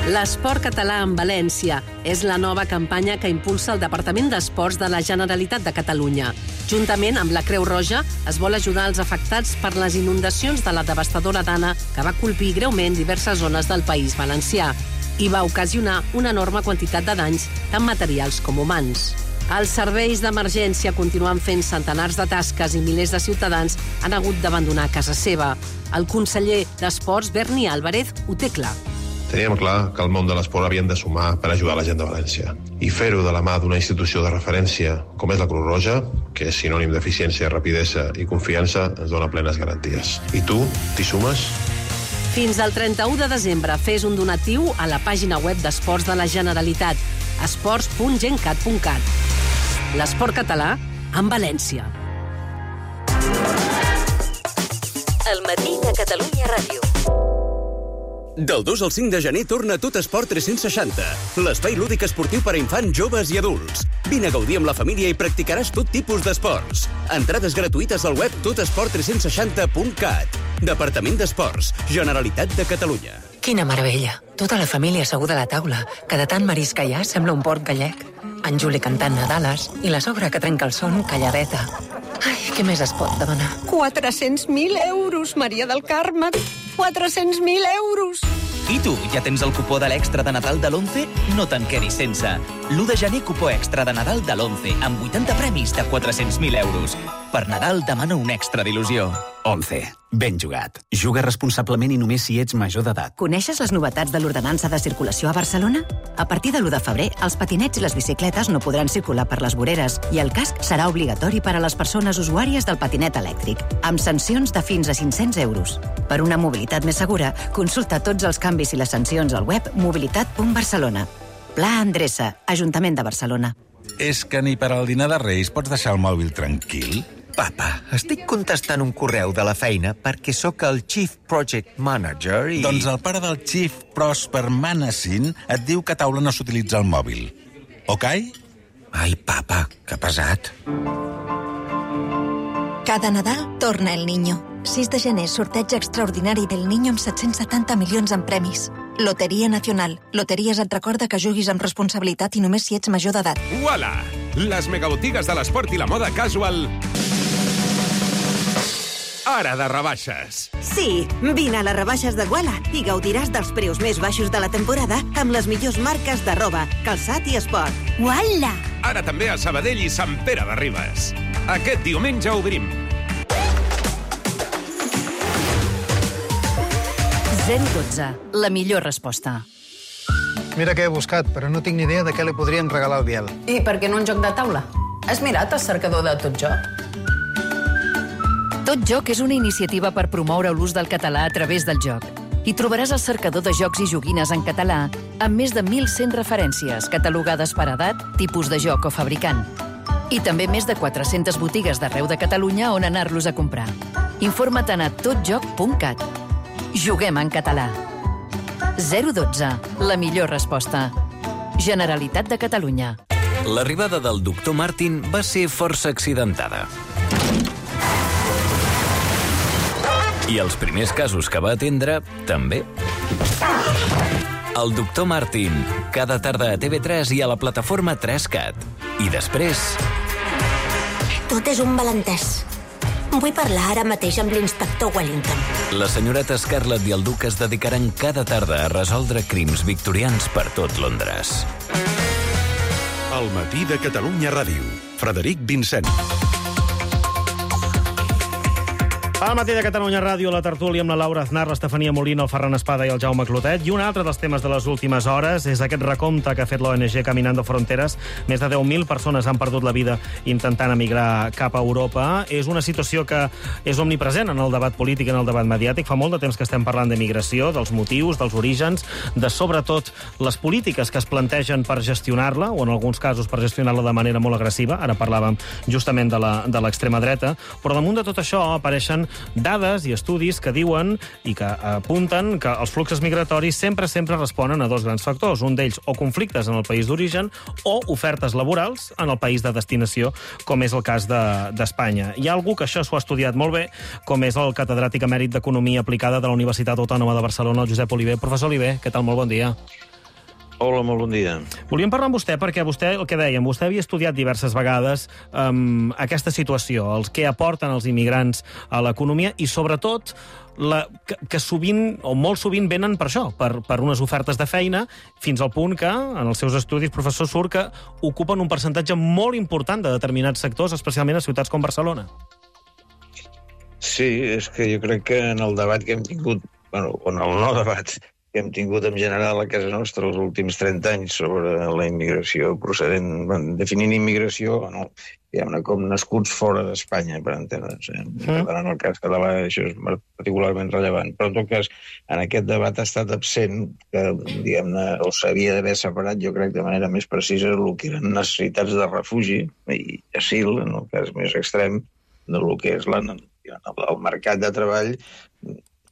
L'esport català en València és la nova campanya que impulsa el Departament d'Esports de la Generalitat de Catalunya. Juntament amb la Creu Roja es vol ajudar els afectats per les inundacions de la devastadora Dana que va colpir greument diverses zones del País Valencià i va ocasionar una enorme quantitat de danys, tant materials com humans. Els serveis d'emergència continuen fent centenars de tasques i milers de ciutadans han hagut d'abandonar casa seva. El conseller d'Esports, Berni Álvarez, ho té clar. Teníem clar que el món de l'esport havien de sumar per ajudar la gent de València. I fer-ho de la mà d'una institució de referència com és la Creu Roja, que és sinònim d'eficiència, rapidesa i confiança, ens dona plenes garanties. I tu, t'hi sumes? Fins al 31 de desembre fes un donatiu a la pàgina web d'Esports de la Generalitat, esports.gencat.cat. L'esport català en València. El matí de Catalunya Ràdio. Del 2 al 5 de gener torna Tot Esport 360, l'espai lúdic esportiu per a infants, joves i adults. Vine a gaudir amb la família i practicaràs tot tipus d'esports. Entrades gratuïtes al web totesport360.cat. Departament d'Esports, Generalitat de Catalunya. Quina meravella. Tota la família asseguda a la taula, que de tant marisc que hi ha sembla un port gallec. En Juli cantant Nadales i la sogra que trenca el son calladeta. Ai, què més es pot demanar? 400.000 euros, Maria del Carme. 400.000 euros! I tu, ja tens el cupó de l'extra de Nadal de l'11? No te'n quedis sense. L'1 de gener, cupó extra de Nadal de l'11, amb 80 premis de 400.000 euros. Per Nadal demana un extra d'il·lusió. 11. Ben jugat. Juga responsablement i només si ets major d'edat. Coneixes les novetats de l'ordenança de circulació a Barcelona? A partir de l'1 de febrer, els patinets i les bicicletes no podran circular per les voreres i el casc serà obligatori per a les persones usuàries del patinet elèctric, amb sancions de fins a 500 euros. Per una mobilitat més segura, consulta tots els canvis i les sancions al web mobilitat.barcelona. Pla Endreça, Ajuntament de Barcelona. És que ni per al dinar de Reis pots deixar el mòbil tranquil? Papa, estic contestant un correu de la feina perquè sóc el Chief Project Manager i... Doncs el pare del Chief Prosper Manassin et diu que a taula no s'utilitza el mòbil. Ok? Ai, papa, que pesat. Cada Nadal torna el Niño. 6 de gener, sorteig extraordinari del Niño amb 770 milions en premis. Loteria Nacional. Loteries et recorda que juguis amb responsabilitat i només si ets major d'edat. Uala! Les megabotigues de l'esport i la moda casual hora de rebaixes. Sí, vine a les rebaixes de Guala i gaudiràs dels preus més baixos de la temporada amb les millors marques de roba, calçat i esport. Guala! Ara també a Sabadell i Sant Pere de Ribes. Aquest diumenge obrim. 012, la millor resposta. Mira què he buscat, però no tinc ni idea de què li podríem regalar al Biel. I per què no un joc de taula? Has mirat el cercador de Tot Joc? Tot Joc és una iniciativa per promoure l'ús del català a través del joc. Hi trobaràs el cercador de jocs i joguines en català amb més de 1.100 referències catalogades per edat, tipus de joc o fabricant. I també més de 400 botigues d'arreu de Catalunya on anar-los a comprar. Informa't a totjoc.cat. Juguem en català. 012, la millor resposta. Generalitat de Catalunya. L'arribada del doctor Martin va ser força accidentada. I els primers casos que va atendre, també. El doctor Martin, cada tarda a TV3 i a la plataforma 3CAT. I després... Tot és un malentès. Vull parlar ara mateix amb l'inspector Wellington. La senyoreta Scarlett i el duc es dedicaran cada tarda a resoldre crims victorians per tot Londres. El matí de Catalunya Ràdio. Frederic Vincent. Al matí de Catalunya Ràdio, la tertúlia amb la Laura Aznar, l'Estefania Molina, el Ferran Espada i el Jaume Clotet. I un altre dels temes de les últimes hores és aquest recompte que ha fet l'ONG Caminando Fronteras. Més de 10.000 persones han perdut la vida intentant emigrar cap a Europa. És una situació que és omnipresent en el debat polític, en el debat mediàtic. Fa molt de temps que estem parlant d'emigració, dels motius, dels orígens, de sobretot les polítiques que es plantegen per gestionar-la, o en alguns casos per gestionar-la de manera molt agressiva. Ara parlàvem justament de l'extrema dreta. Però damunt de tot això apareixen dades i estudis que diuen i que apunten que els fluxos migratoris sempre responen a dos grans factors. Un d'ells, o conflictes en el país d'origen o ofertes laborals en el país de destinació, com és el cas d'Espanya. Hi ha algú que això s'ho ha estudiat molt bé, com és el catedràtic emèrit d'Economia Aplicada de la Universitat Autònoma de Barcelona, el Josep Oliver. Professor Oliver, què tal? Molt bon dia. Hola, molt bon dia. Volíem parlar amb vostè perquè vostè, el que dèiem, vostè havia estudiat diverses vegades aquesta situació, els que aporten els immigrants a l'economia i, sobretot, que sovint, o molt sovint, venen per això, per unes ofertes de feina, fins al punt que, en els seus estudis, professor, surt que ocupen un percentatge molt important de determinats sectors, especialment a ciutats com Barcelona. Sí, és que jo crec que en el debat que hem tingut, bueno, en el no debat que hem tingut en general a casa nostra els últims 30 anys sobre la immigració procedent, definint immigració, no, diguem-ne, com nascuts fora d'Espanya, per entendre'ns. Per tant, en el cas català això és particularment rellevant. Però, en tot cas, en aquest debat ha estat absent que, diguem-ne, o s'havia d'haver separat, jo crec, de manera més precisa, el que eren necessitats de refugi i asil, en el cas més extrem, del que és el mercat de treball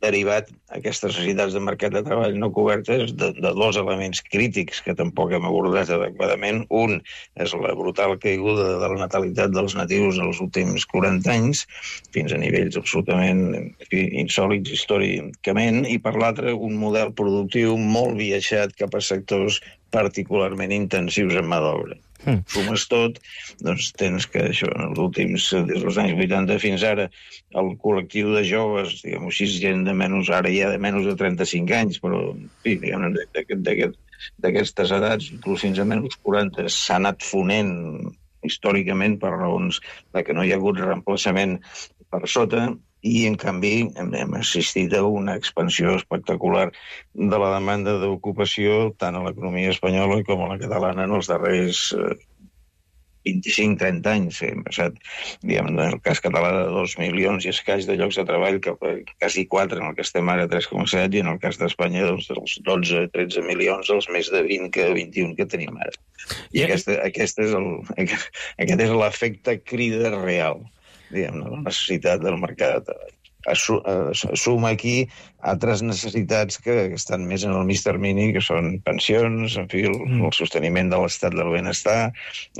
derivat aquestes necessitats de mercat de treball no cobertes de dos elements crítics que tampoc hem abordat adequadament. Un és la brutal caiguda de la natalitat dels natius els últims 40 anys, fins a nivells absolutament insòlits històricament, i per l'altre un model productiu molt viatjat cap a sectors particularment intensius en mà d'obra. Sumes tot, doncs tens que això, en els últims, des dels anys 80 fins ara, el col·lectiu de joves, diguem-ho així, gent de menys, ara ja de menys de 35 anys, però, sí, diguem-ne, d'aquestes edats, inclús fins a menys 40, s'ha anat fonent històricament per raons de que no hi ha hagut reemplaçament per sota, i, en canvi, hem assistit a una expansió espectacular de la demanda d'ocupació tant a l'economia espanyola com a la catalana en els darrers 25-30 anys. Hem passat, diguem, en el cas català, de 2 milions i escaig de llocs de treball, cap a quasi 4, en el que estem ara 3,7, i en el cas d'Espanya, doncs, dels 12-13 milions, els més de 20 que 21 que tenim ara. I aquest és l'efecte crida real, diguem-ne, la necessitat del mercat de treball. Suma aquí altres necessitats que estan més en el mig termini, que són pensions, en fi, el sosteniment de l'estat del benestar,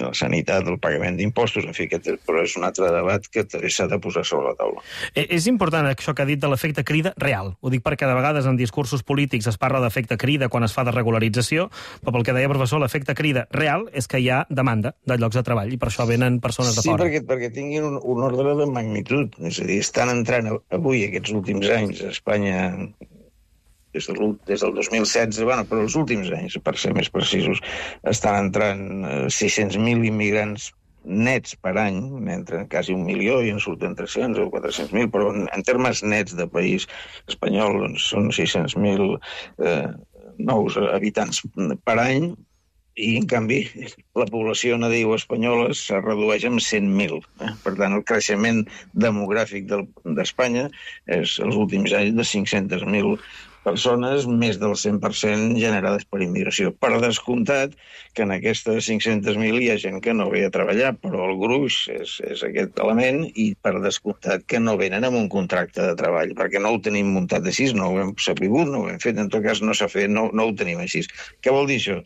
la sanitat, el pagament d'impostos, en fi, però és un altre debat que s'ha de posar sobre la taula. És important això que ha dit de l'efecte crida real. Ho dic perquè de vegades en discursos polítics es parla d'efecte crida quan es fa de regularització, però pel que deia el professor, l'efecte crida real és que hi ha demanda de llocs de treball i per això venen persones de fora. Sí, perquè tinguin un ordre de magnitud. És a dir, estan entrant avui, aquests últims anys, a Espanya, des del 2016, però els últims anys, per ser més precisos, estan entrant 600.000 immigrants nets per any, entren quasi 1 milió i en surten 300 o 400.000, però en termes nets de país espanyol doncs, són 600.000 nous habitants per any, i, en canvi, la població nadiu espanyola se redueix en 100.000. Per tant, el creixement demogràfic d'Espanya és, els últims anys, de 500.000 persones, més del 100% generades per immigració. Per descomptat que en aquestes 500.000 hi ha gent que no ve a treballar, però el gruix és aquest element, i per descomptat que no venen amb un contracte de treball, perquè no ho tenim muntat així, no ho hem sabut, no ho hem fet, en tot cas no s'ha fet, no ho tenim així. Què vol dir això?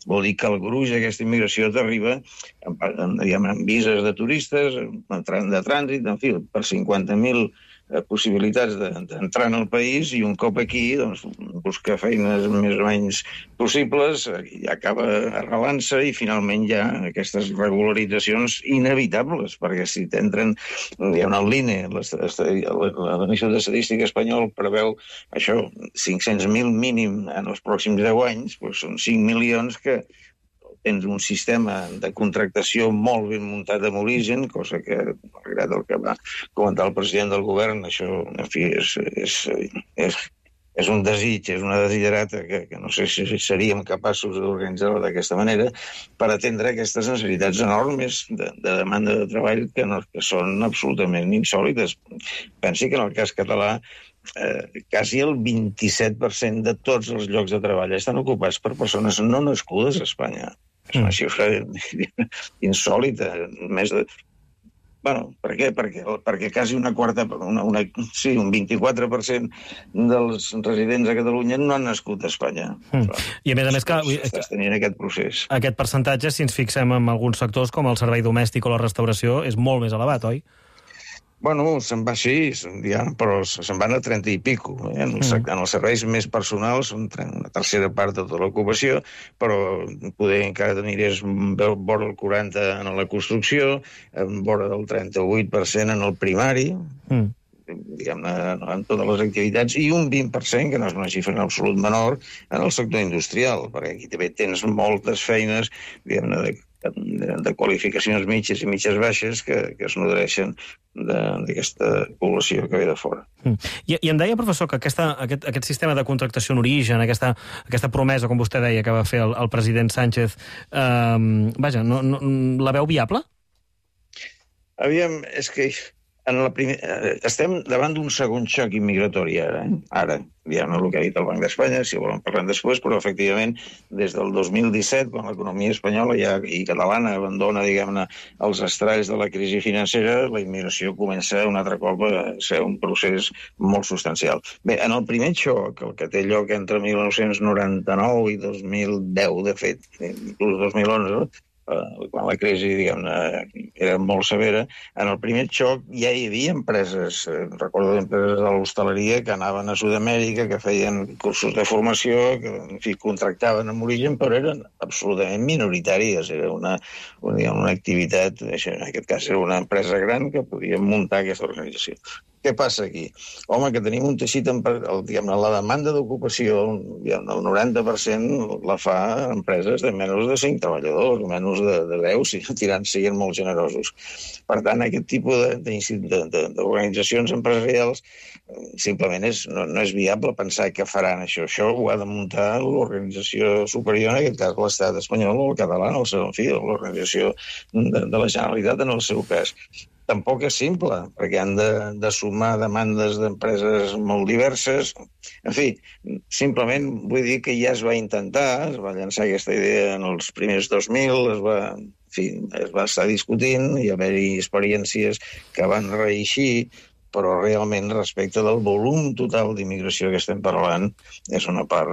Vol dir que el gruix d'aquesta immigració t'arriba amb vises de turistes, de trànsit, en fi, per 50.000 possibilitats d'entrar en el país, i un cop aquí doncs, busca feines més o menys possibles, i acaba arrelant-se, i finalment hi ha aquestes regularitzacions inevitables, perquè si t'entren, hi ha l'INE, l'Institut d'Estadística espanyol preveu això, 500.000 mínim en els pròxims 10 anys, doncs són 5 milions que tens un sistema de contractació molt ben muntat amb origen, cosa que, malgrat el que va comentar el president del govern, això, en fi, és un desig, és una desiderata que no sé si seríem capaços d'organitzar-ho d'aquesta manera per atendre aquestes necessitats enormes de demanda de treball que són absolutament insòlites. Pensi que en el cas català quasi el 27% de tots els llocs de treball estan ocupats per persones no nascudes a Espanya. És una xifra insòlita. Per què? Perquè quasi una quarta, un 24% dels residents a Catalunya no han nascut a Espanya. I a més que estàs tenint aquest procés. Aquest percentatge, si ens fixem en alguns sectors com el servei domèstic o la restauració, és molt més elevat, oi? Bueno, se'n va així, però se'n van a 30 i pico. En els serveis més personals són una tercera part de tota l'ocupació, però poder encara t'aniries vora el 40% en la construcció, vora del 38% en el primari, diguem-ne, en totes les activitats, i un 20%, que no és una xifra en absolut menor, en el sector industrial, perquè aquí també tens moltes feines, diguem-ne, de qualificacions mitges i mitges baixes que es nodreixen d'aquesta població que ve de fora. I em deia, professor, que aquest sistema de contractació en origen, aquesta promesa, com vostè deia, que va fer el president Sánchez, vaja, la veu viable? Aviam, és que estem davant d'un segon xoc immigratori ara, diguem-ne el que ha dit el Banc d'Espanya, si volen parlem després, però efectivament des del 2017, quan l'economia espanyola i catalana abandona, diguem-ne, els estralls de la crisi financera, la immigració comença un altre cop a ser un procés molt substancial. Bé, en el primer xoc, el que té lloc entre 1999 i 2010, de fet, inclús 2011, quan la crisi, diguem-ne, era molt severa, en el primer xoc ja hi havia empreses, recordo empreses de l'hostaleria que anaven a Sud-amèrica, que feien cursos de formació, que, en fi, contractaven amb origen, però eren absolutament minoritàries. Era una activitat, en aquest cas era una empresa gran que podia muntar aquesta organització. Què passa aquí? Home, que tenim un teixit, la demanda d'ocupació, el 90% la fa empreses de menys de 5 treballadors, menys de 10, siguin molt generosos. Per tant, aquest tipus d'organitzacions empresarials simplement no és viable pensar que faran això. Això ho ha de muntar l'organització superior, en aquest cas l'Estat espanyol o el català, l'organització de la Generalitat en el seu cas. Tampoc és simple, perquè han de sumar demandes d'empreses molt diverses. En fi, simplement vull dir que ja es va intentar, es va llançar aquesta idea en els primers 2000, es va estar discutint, i haver-hi experiències que van reeixir, però realment respecte del volum total d'immigració que estem parlant és una part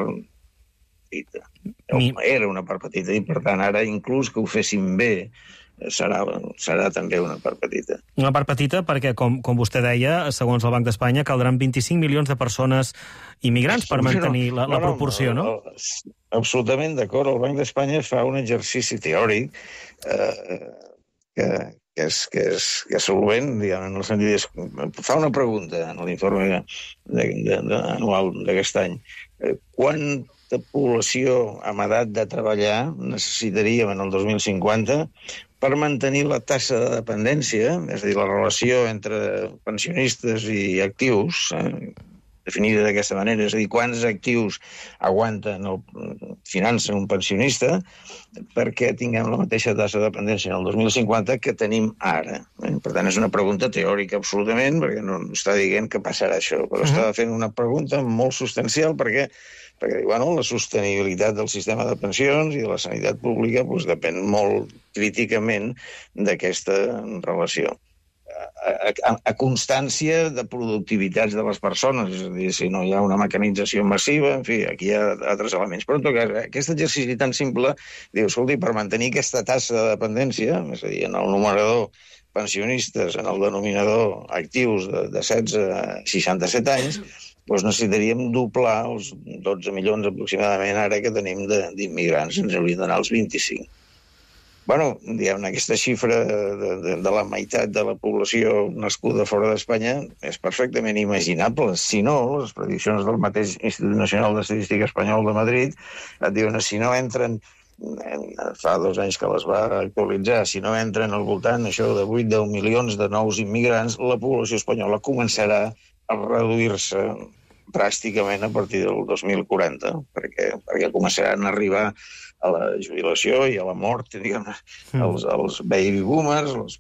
petita. Era una part petita, i per tant ara inclús que ho féssim bé serà també una part petita. Una part petita perquè, com vostè deia, segons el Banc d'Espanya, caldran 25 milions de persones immigrants per mantenir la proporció, no? Absolutament d'acord. El Banc d'Espanya fa un exercici teòric és solvent, diguem, en el sentit fa una pregunta en l'informe anual d'aquest any. Quanta població amb edat de treballar necessitaríem en el 2050 per mantenir la tassa de dependència, és a dir, la relació entre pensionistes i actius, definida d'aquesta manera, és a dir, quants actius aguanten o financen un pensionista perquè tinguem la mateixa tassa de dependència en el 2050 que tenim ara. Per tant, és una pregunta teòrica absolutament, perquè no està dient que passarà això, però està fent una pregunta molt substancial perquè diu, la sostenibilitat del sistema de pensions i de la sanitat pública depèn molt críticament d'aquesta relació. A constància de productivitats de les persones, és a dir, si no hi ha una mecanització massiva, en fi, aquí hi ha altres elements. Però en tot cas, aquest exercici tan simple, diu, escolti, per mantenir aquesta tassa de dependència, és a dir, en el numerador pensionistes, en el denominador actius de 16 a 67 anys, necessitaríem doblar els 12 milions aproximadament ara que tenim d'immigrants, ens haurien d'anar als 25. Diguem-ne, aquesta xifra de la meitat de la població nascuda fora d'Espanya és perfectament imaginable. Si no, les prediccions del mateix Institut Nacional d'Estadística Espanyol de Madrid et diuen que si no entren, fa 2 anys que les va actualitzar, si no entren al voltant això de 8-10 milions de nous immigrants, la població espanyola començarà a reduir-se dràsticament a partir del 2040, perquè començaran a arribar a la jubilació i a la mort, diguem, els baby boomers, els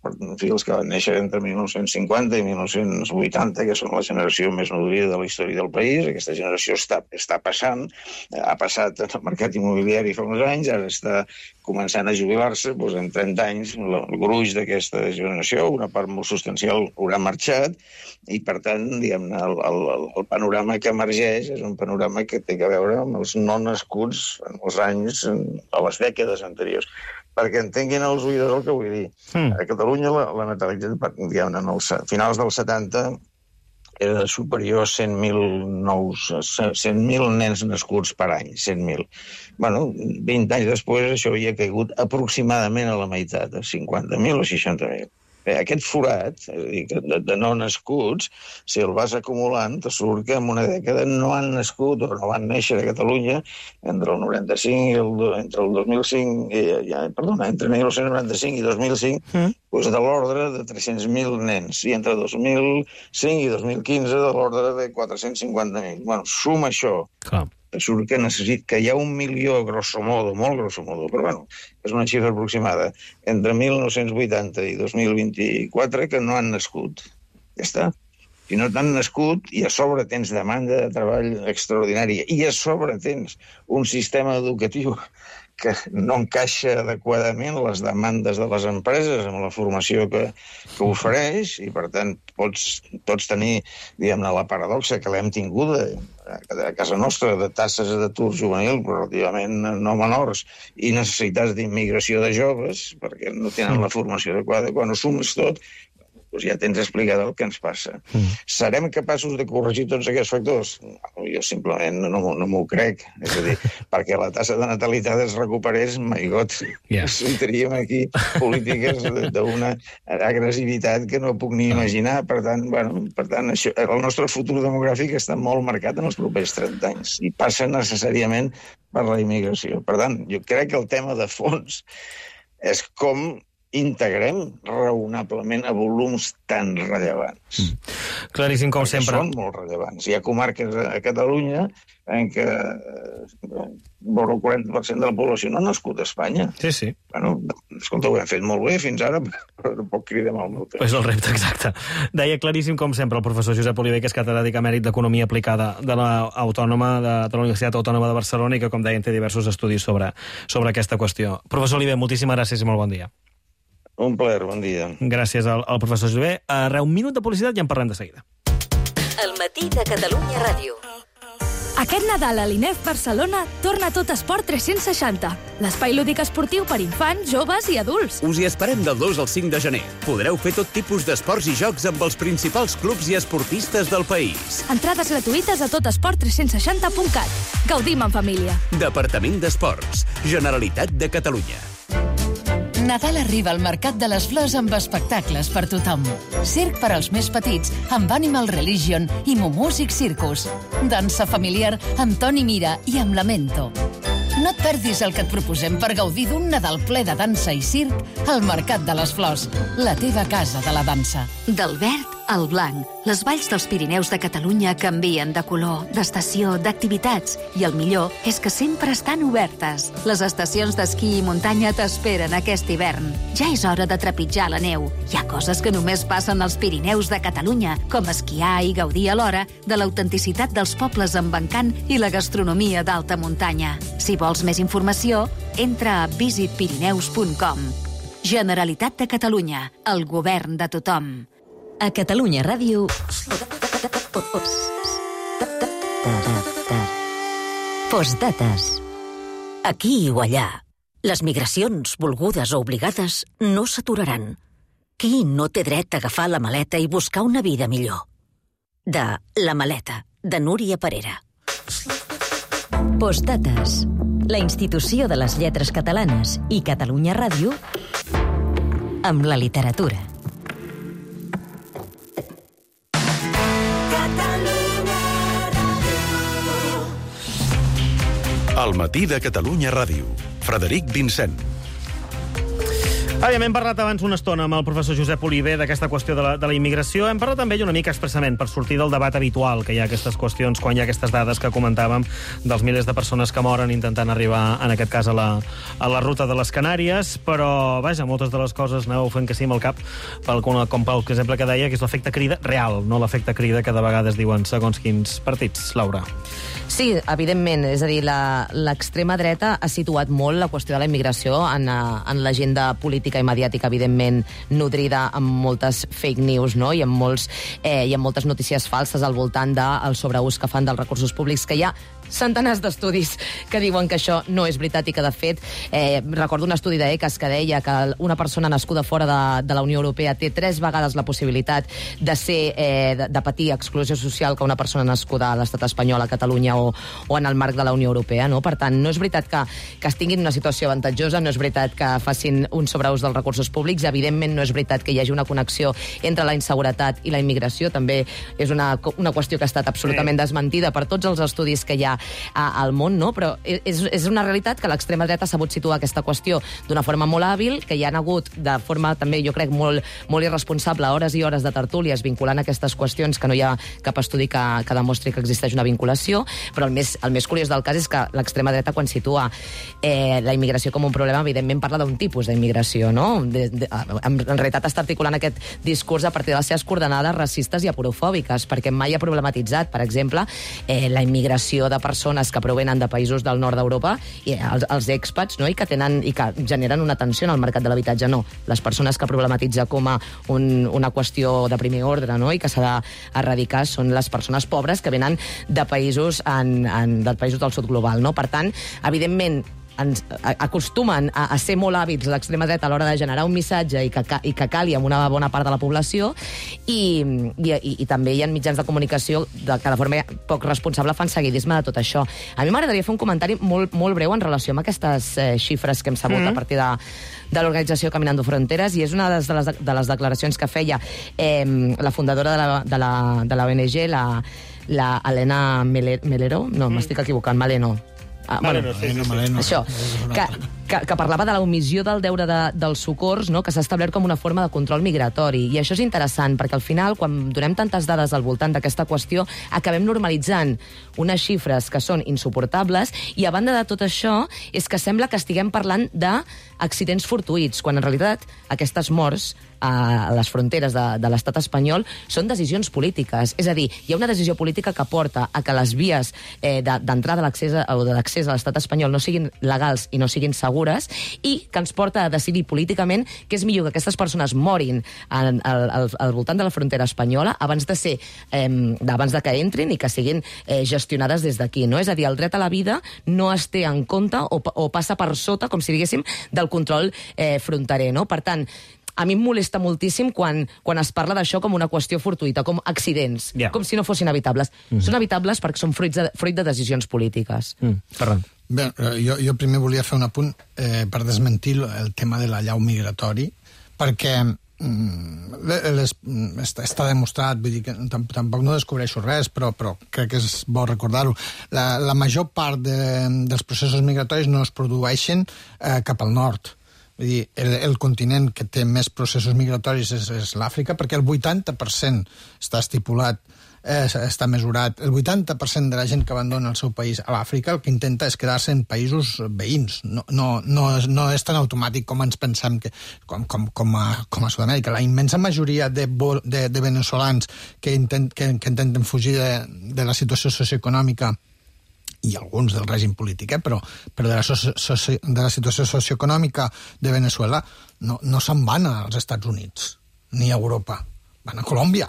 que van néixer entre 1950 i 1980, que són la generació més nodrida de la història del país. Aquesta generació està passant, ha passat en el mercat immobiliari fa uns anys, ara està començant a jubilar-se, en 30 anys el gruix d'aquesta generació, una part molt substancial, haurà marxat, i per tant, diguem-ne, el panorama que emergeix és un panorama que té a veure amb els no nascuts en els anys, a les dècades anteriors. Perquè entenguin els oïdors el que vull dir. A Catalunya la natalitat, diguem-ne, en els finals dels 70 era superior a 100.000 nens nascuts per any, 100.000. 20 anys després això havia caigut aproximadament a la meitat, a 50.000 o 60.000. Aquest forat, és a dir, de no nascuts, si el vas acumulant, te surt que en una dècada no han nascut o no van néixer a Catalunya entre el 95 entre el 2005, entre 1995 i 2005, de l'ordre de 300.000 nens, i entre 2005 i 2015 de l'ordre de 450.000. Suma això. Clar. Surt que hi ha 1 milió, grosso modo, molt grosso modo, però és una xifra aproximada, entre 1980 i 2024 que no han nascut. Ja està. Si no t'han nascut, i a sobre tens demanda de treball extraordinària, i a sobre tens un sistema educatiu que no encaixa adequadament les demandes de les empreses amb la formació que ofereix, i per tant pots tenir, diguem-ne, la paradoxa que l'hem tinguda a casa nostra de tasses d'atur juvenil relativament no menors i necessitats d'immigració de joves perquè no tenen la formació adequada. Quan ho sumes tot, ja tens explicat el que ens passa. Serem capaços de corregir tots aquests factors? Jo simplement no m'ho crec. És a dir, perquè la tassa de natalitat es recuperés, my God, sortiríem aquí polítiques d'una agressivitat que no puc ni imaginar. Per tant, el nostre futur demogràfic està molt marcat en els propers 30 anys i passa necessàriament per la immigració. Per tant, jo crec que el tema de fons és com integrem raonablement a volums tan rellevants. Claríssim, com sempre. Són molt rellevants. Hi ha comarques a Catalunya en què el 40% de la població no ha nascut a Espanya. Sí. Escolta, ho hem fet molt bé fins ara, però no pot cridar mal molt. És el repte, exacte. Deia claríssim, com sempre, el professor Josep Oliver, que és catedràtic emèrit d'Economia Aplicada de la Universitat Autònoma de Barcelona i que, com deia, té diversos estudis sobre aquesta qüestió. Professor Oliver, moltíssimes gràcies i molt bon dia. Un plaer, bon dia. Gràcies al professor Oliver. Un minut de publicitat i en parlem de seguida. El matí de Catalunya Ràdio. Aquest Nadal a l'INEF Barcelona torna Tot Esport 360, l'espai lúdic esportiu per infants, joves i adults. Us hi esperem del 2 al 5 de gener. Podreu fer tot tipus d'esports i jocs amb els principals clubs i esportistes del país. Entrades gratuïtes a totesport360.cat. Gaudim en família. Departament d'Esports. Generalitat de Catalunya. Nadal arriba al Mercat de les Flors amb espectacles per tothom. Circ per als més petits amb Animal Religion i Mumúsic Circus. Dansa familiar amb Toni Mira i amb Lamento. No et perdis el que et proposem per gaudir d'un Nadal ple de dansa i circ al Mercat de les Flors, la teva casa de la dansa. Del verd al blanc, les valls dels Pirineus de Catalunya canvien de color, d'estació, d'activitats, i el millor és que sempre estan obertes. Les estacions d'esquí i muntanya t'esperen aquest hivern. Ja és hora de trepitjar la neu. Hi ha coses que només passen als Pirineus de Catalunya, com esquiar i gaudir alhora de l'autenticitat dels pobles amb encant i la gastronomia d'alta muntanya. Si vols més informació, entra a visitpirineus.com. Generalitat de Catalunya, el govern de tothom. A Catalunya Ràdio... Postdates. Aquí o allà, les migracions, volgudes o obligades, no s'aturaran. Qui no té dret a agafar la maleta i buscar una vida millor? De La Maleta, de Núria Parera. Postdates. La institució de les lletres catalanes i Catalunya Ràdio amb la literatura. El matí de Catalunya Ràdio. Frederic Vincent. Hem parlat abans una estona amb el professor Josep Oliver d'aquesta qüestió de la immigració. Hem parlat també una mica expressament per sortir del debat habitual que hi ha aquestes qüestions, quan hi ha aquestes dades que comentàvem dels milers de persones que moren intentant arribar, en aquest cas, a la ruta de les Canàries, però, vaja, moltes de les coses aneu fent que sí amb el cap, com pel exemple que deia, que és l'efecte crida real, no l'efecte crida que de vegades diuen segons quins partits. Laura. Sí, evidentment. És a dir, l'extrema dreta ha situat molt la qüestió de la immigració en l'agenda política i mediàtica, evidentment, nodrida amb moltes fake news, no? I amb moltes notícies falses al voltant del sobreús que fan dels recursos públics, que hi ha centenars d'estudis que diuen que això no és veritat i que, de fet, recordo un estudi d'ECAS que deia que una persona nascuda fora de la Unió Europea té 3 vegades la possibilitat de patir exclusió social que una persona nascuda a l'estat espanyol, a Catalunya o en el marc de la Unió Europea, no? Per tant, no és veritat que estiguin en una situació avantatjosa, no és veritat que facin un sobreús dels recursos públics, evidentment no és veritat que hi hagi una connexió entre la inseguretat i la immigració, també és una qüestió que ha estat absolutament desmentida per tots els estudis que hi ha al món, no? Però és una realitat que l'extrema dreta ha sabut situar aquesta qüestió d'una forma molt hàbil, que hi han hagut de forma també, jo crec, molt irresponsable, hores i hores de tertúlies vinculant aquestes qüestions, que no hi ha cap estudi que demostri que existeix una vinculació, però el més curiós del cas és que l'extrema dreta, quan situa la immigració com un problema, evidentment parla d'un tipus d'immigració, no? En realitat està articulant aquest discurs a partir de les seves coordenades racistes i aporofòbiques, perquè mai ha problematitzat, per exemple, la immigració de persones que provenen de països del nord d'Europa, i els expats, no? I que generen una tensió en el mercat de l'habitatge. No, les persones que problematitza com a una qüestió de primer ordre, no? I que s'ha d'erradicar són les persones pobres que venen de països del sud global, no? Per tant, evidentment, acostumen a ser molt hàbils l'extrema dreta a l'hora de generar un missatge i que cali amb una bona part de la població, i també hi ha mitjans de comunicació que de forma poc responsable fan seguidisme de tot això. A mi m'agradaria fer un comentari molt breu en relació amb aquestes xifres que hem sabut a partir de l'organització Caminando Fronteres, i és una de les declaracions que feia la fundadora de la ONG, la Elena Melero, no, m'estic equivocant, Maleno. Això, que parlava de la omissió del deure dels socors, no? Que s'ha establert com una forma de control migratori. I això és interessant, perquè al final, quan donem tantes dades al voltant d'aquesta qüestió, acabem normalitzant unes xifres que són insuportables, i a banda de tot això és que sembla que estiguem parlant d'accidents fortuïts, quan en realitat aquestes morts a les fronteres de l'estat espanyol són decisions polítiques. És a dir, hi ha una decisió política que porta a que les vies d'entrada o de l'accés a l'estat espanyol no siguin legals i no siguin segures, i que ens porta a decidir políticament que és millor que aquestes persones morin al voltant de la frontera espanyola abans de que entrin i que siguin gestionades des d'aquí, no? És a dir, el dret a la vida no es té en compte o passa per sota, com si diguéssim, del control fronterer, no? Per tant, a mi em molesta moltíssim quan es parla d'això com una qüestió fortuïta, com accidents, com si no fossin evitables. Són evitables perquè són fruit de decisions polítiques. Ferran. Bé, jo primer volia fer un apunt per desmentir el tema de la llau migratori, perquè està demostrat, vull dir que tampoc no descobreixo res, però crec que és bo recordar-ho. La major part dels processos migratoris no es produeixen cap al nord. Vull dir, el continent que té més processos migratoris és l'Àfrica, perquè el 80% està estipulat, està mesurat. El 80% de la gent que abandona el seu país a l'Àfrica el que intenta és quedar-se en països veïns. No és tan automàtic com ens pensem com a Sud-amèrica. La immensa majoria de veneçolans que intenten fugir de la situació socioeconòmica i alguns del règim polític, però de la situació socioeconòmica de Veneçuela no se'n van als Estats Units ni a Europa, van a Colòmbia.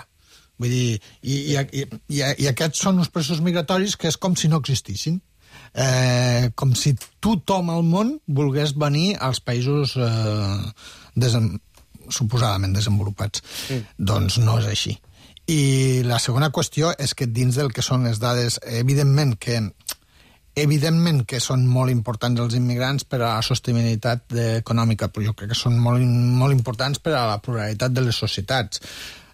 Vull dir, i aquests són uns processos migratoris que és com si no existissin. Com si tothom al món volgués venir als països suposadament desenvolupats. Doncs no és així. I la segona qüestió és que dins del que són les dades, evidentment que són molt importants els immigrants per a la sostenibilitat econòmica, però jo crec que són molt importants per a la pluralitat de les societats.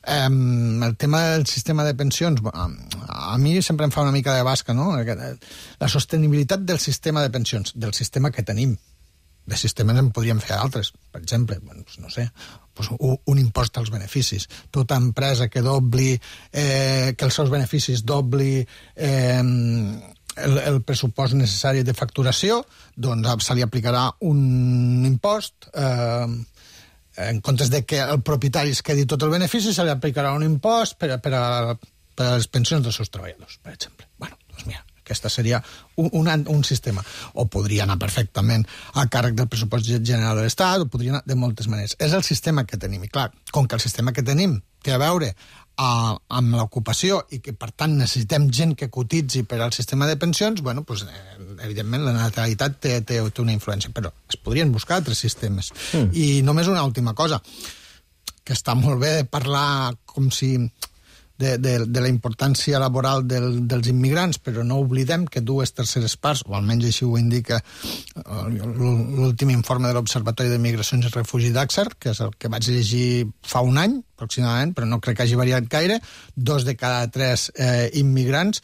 El tema del sistema de pensions, a mi sempre em fa una mica de basca, no? La sostenibilitat del sistema de pensions, del sistema que tenim. De sistemes en podríem fer altres, per exemple, no sé, un impost als beneficis. Tota empresa que dobli, que els seus beneficis dobli el pressupost necessari de facturació, doncs se li aplicarà un impost, en comptes de que el propietari es quedi tot el benefici, se li aplicarà un impost per a les pensions dels seus treballadors, per exemple. Bueno, doncs mira, aquesta seria un sistema. O podria anar perfectament a càrrec del pressupost general de l'Estat, o podria anar de moltes maneres. És el sistema que tenim. I clar, com que el sistema que tenim té a veure amb l'ocupació i que, per tant, necessitem gent que cotitzi per al sistema de pensions, bueno, doncs, evidentment, la natalitat té una influència, però es podrien buscar altres sistemes. I només una última cosa, que està molt bé parlar com si de la importància laboral dels immigrants, però no oblidem que 2/3 parts, o almenys així ho indica l'últim informe de l'Observatori de Migracions i Refugi d'Axar, que és el que vaig llegir fa un any, aproximadament, però no crec que hagi variat gaire, 2 de cada 3 immigrants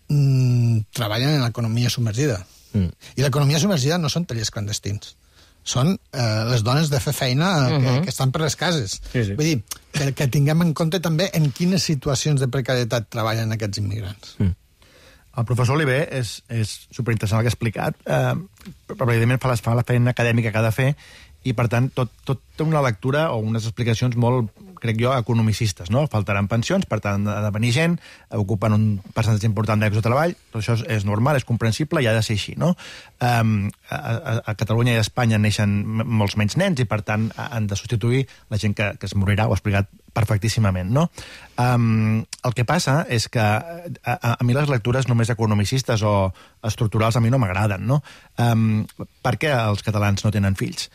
treballen en l'economia submergida. I l'economia submergida no són tallers clandestins. Són les dones de fer feina que estan per les cases. Vull dir, que tinguem en compte també en quines situacions de precarietat treballen aquests immigrants. El professor Oliver és superinteressant el que ha explicat, però evidentment fa la feina acadèmica que ha de fer, i per tant tot té una lectura o unes explicacions molt, crec jo, economicistes, no? Faltaran pensions, per tant ha de venir gent, ocupen un percentatge important de llocs de treball, tot això és normal, és comprensible i ha de ser així, no? A Catalunya i a Espanya neixen molts menys nens i per tant han de substituir la gent que es morirà, ho ha explicat perfectíssimament, no? El que passa és que a mi les lectures només economicistes o estructurals a mi no m'agraden, no? Per què els catalans no tenen fills?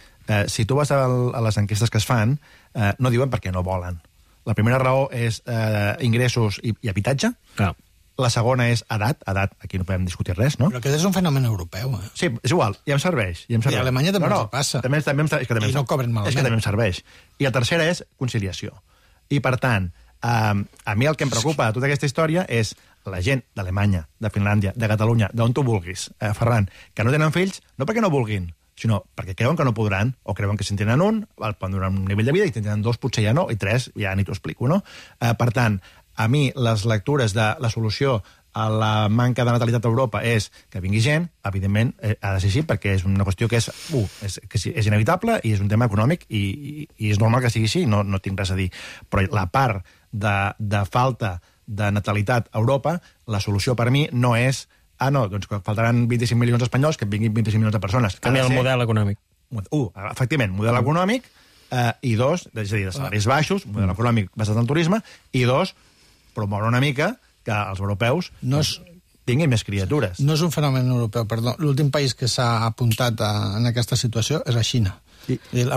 Si tu vas a les enquestes que es fan, no diuen perquè no volen. La primera raó és ingressos i habitatge. La segona és edat, aquí no podem discutir res, no? Però aquest és un fenomen europeu. Sí, és igual, ja em serveix. I a Alemanya també ens passa. I no cobren malament. És que també em serveix. I la tercera és conciliació. I per tant, a mi el que em preocupa de tota aquesta història és la gent d'Alemanya, de Finlàndia, de Catalunya, d'on tu vulguis, Ferran, que no tenen fills, no perquè no vulguin, sinó perquè creuen que no podran, o creuen que si en tenen un, poden donar un nivell de vida, i si en tenen 2 potser ja no, i 3 ja ni t'ho explico, no? Per tant, a mi les lectures de la solució a la manca de natalitat a Europa és que vingui gent, evidentment ha de ser així, perquè és una qüestió que és inevitable i és un tema econòmic i és normal que sigui així, no tinc res a dir. Però la part de falta de natalitat a Europa, la solució per mi no és doncs faltaran 25 milions d'espanyols, que vinguin 25 milions de persones. Canviar el model econòmic. Efectivament, model econòmic, i 2, és a dir, de salaris baixos, model econòmic basat en el turisme, i 2, promoure una mica que els europeus tinguin més criatures. No és un fenomen europeu, perdó. L'últim país que s'ha apuntat en aquesta situació és la Xina. I la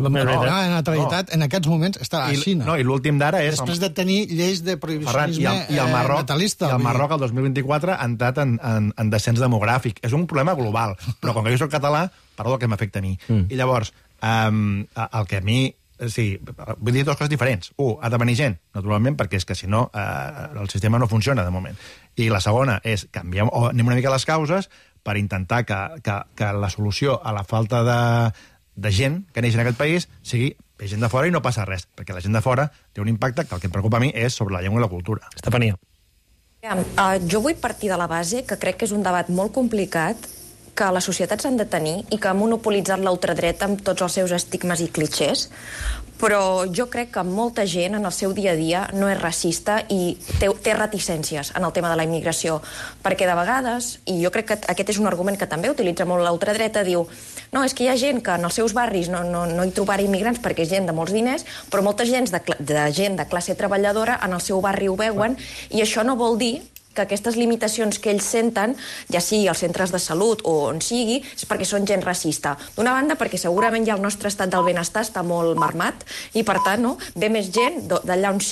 natalitat en aquests moments està a Xina. I l'últim d'ara és... Després de tenir lleis de prohibicionisme natalista. I el Marroc, el 2024, ha entrat en descens demogràfic. És un problema global, però com que jo soc català, parlo del que m'afecta a mi. I llavors, el que a mi... Sí, vull dir dues coses diferents. Ha de venir gent, naturalment, perquè és que si no el sistema no funciona de moment. I la segona és canviar, o anem una mica a les causes per intentar que la solució a la falta de gent que neix en aquest país sigui gent de fora i no passa res, perquè la gent de fora té un impacte que el que em preocupa a mi és sobre la llengua i la cultura. Estefania. Jo vull partir de la base que crec que és un debat molt complicat, que les societats han de tenir i que ha monopolitzat l'ultradreta amb tots els seus estigmes i clixés, però jo crec que molta gent en el seu dia a dia no és racista i té reticències en el tema de la immigració, perquè de vegades, i jo crec que aquest és un argument que també utilitza molt l'ultradreta, diu no, és que hi ha gent que en els seus barris no hi trobarà immigrants perquè és gent de molts diners, però molta gent de classe treballadora en el seu barri ho veuen, i això no vol dir que aquestes limitacions que ells senten, ja sigui als centres de salut o on sigui, és perquè són gent racista. D'una banda, perquè segurament ja el nostre estat del benestar està molt marmat i, per tant, ve més gent d'allà on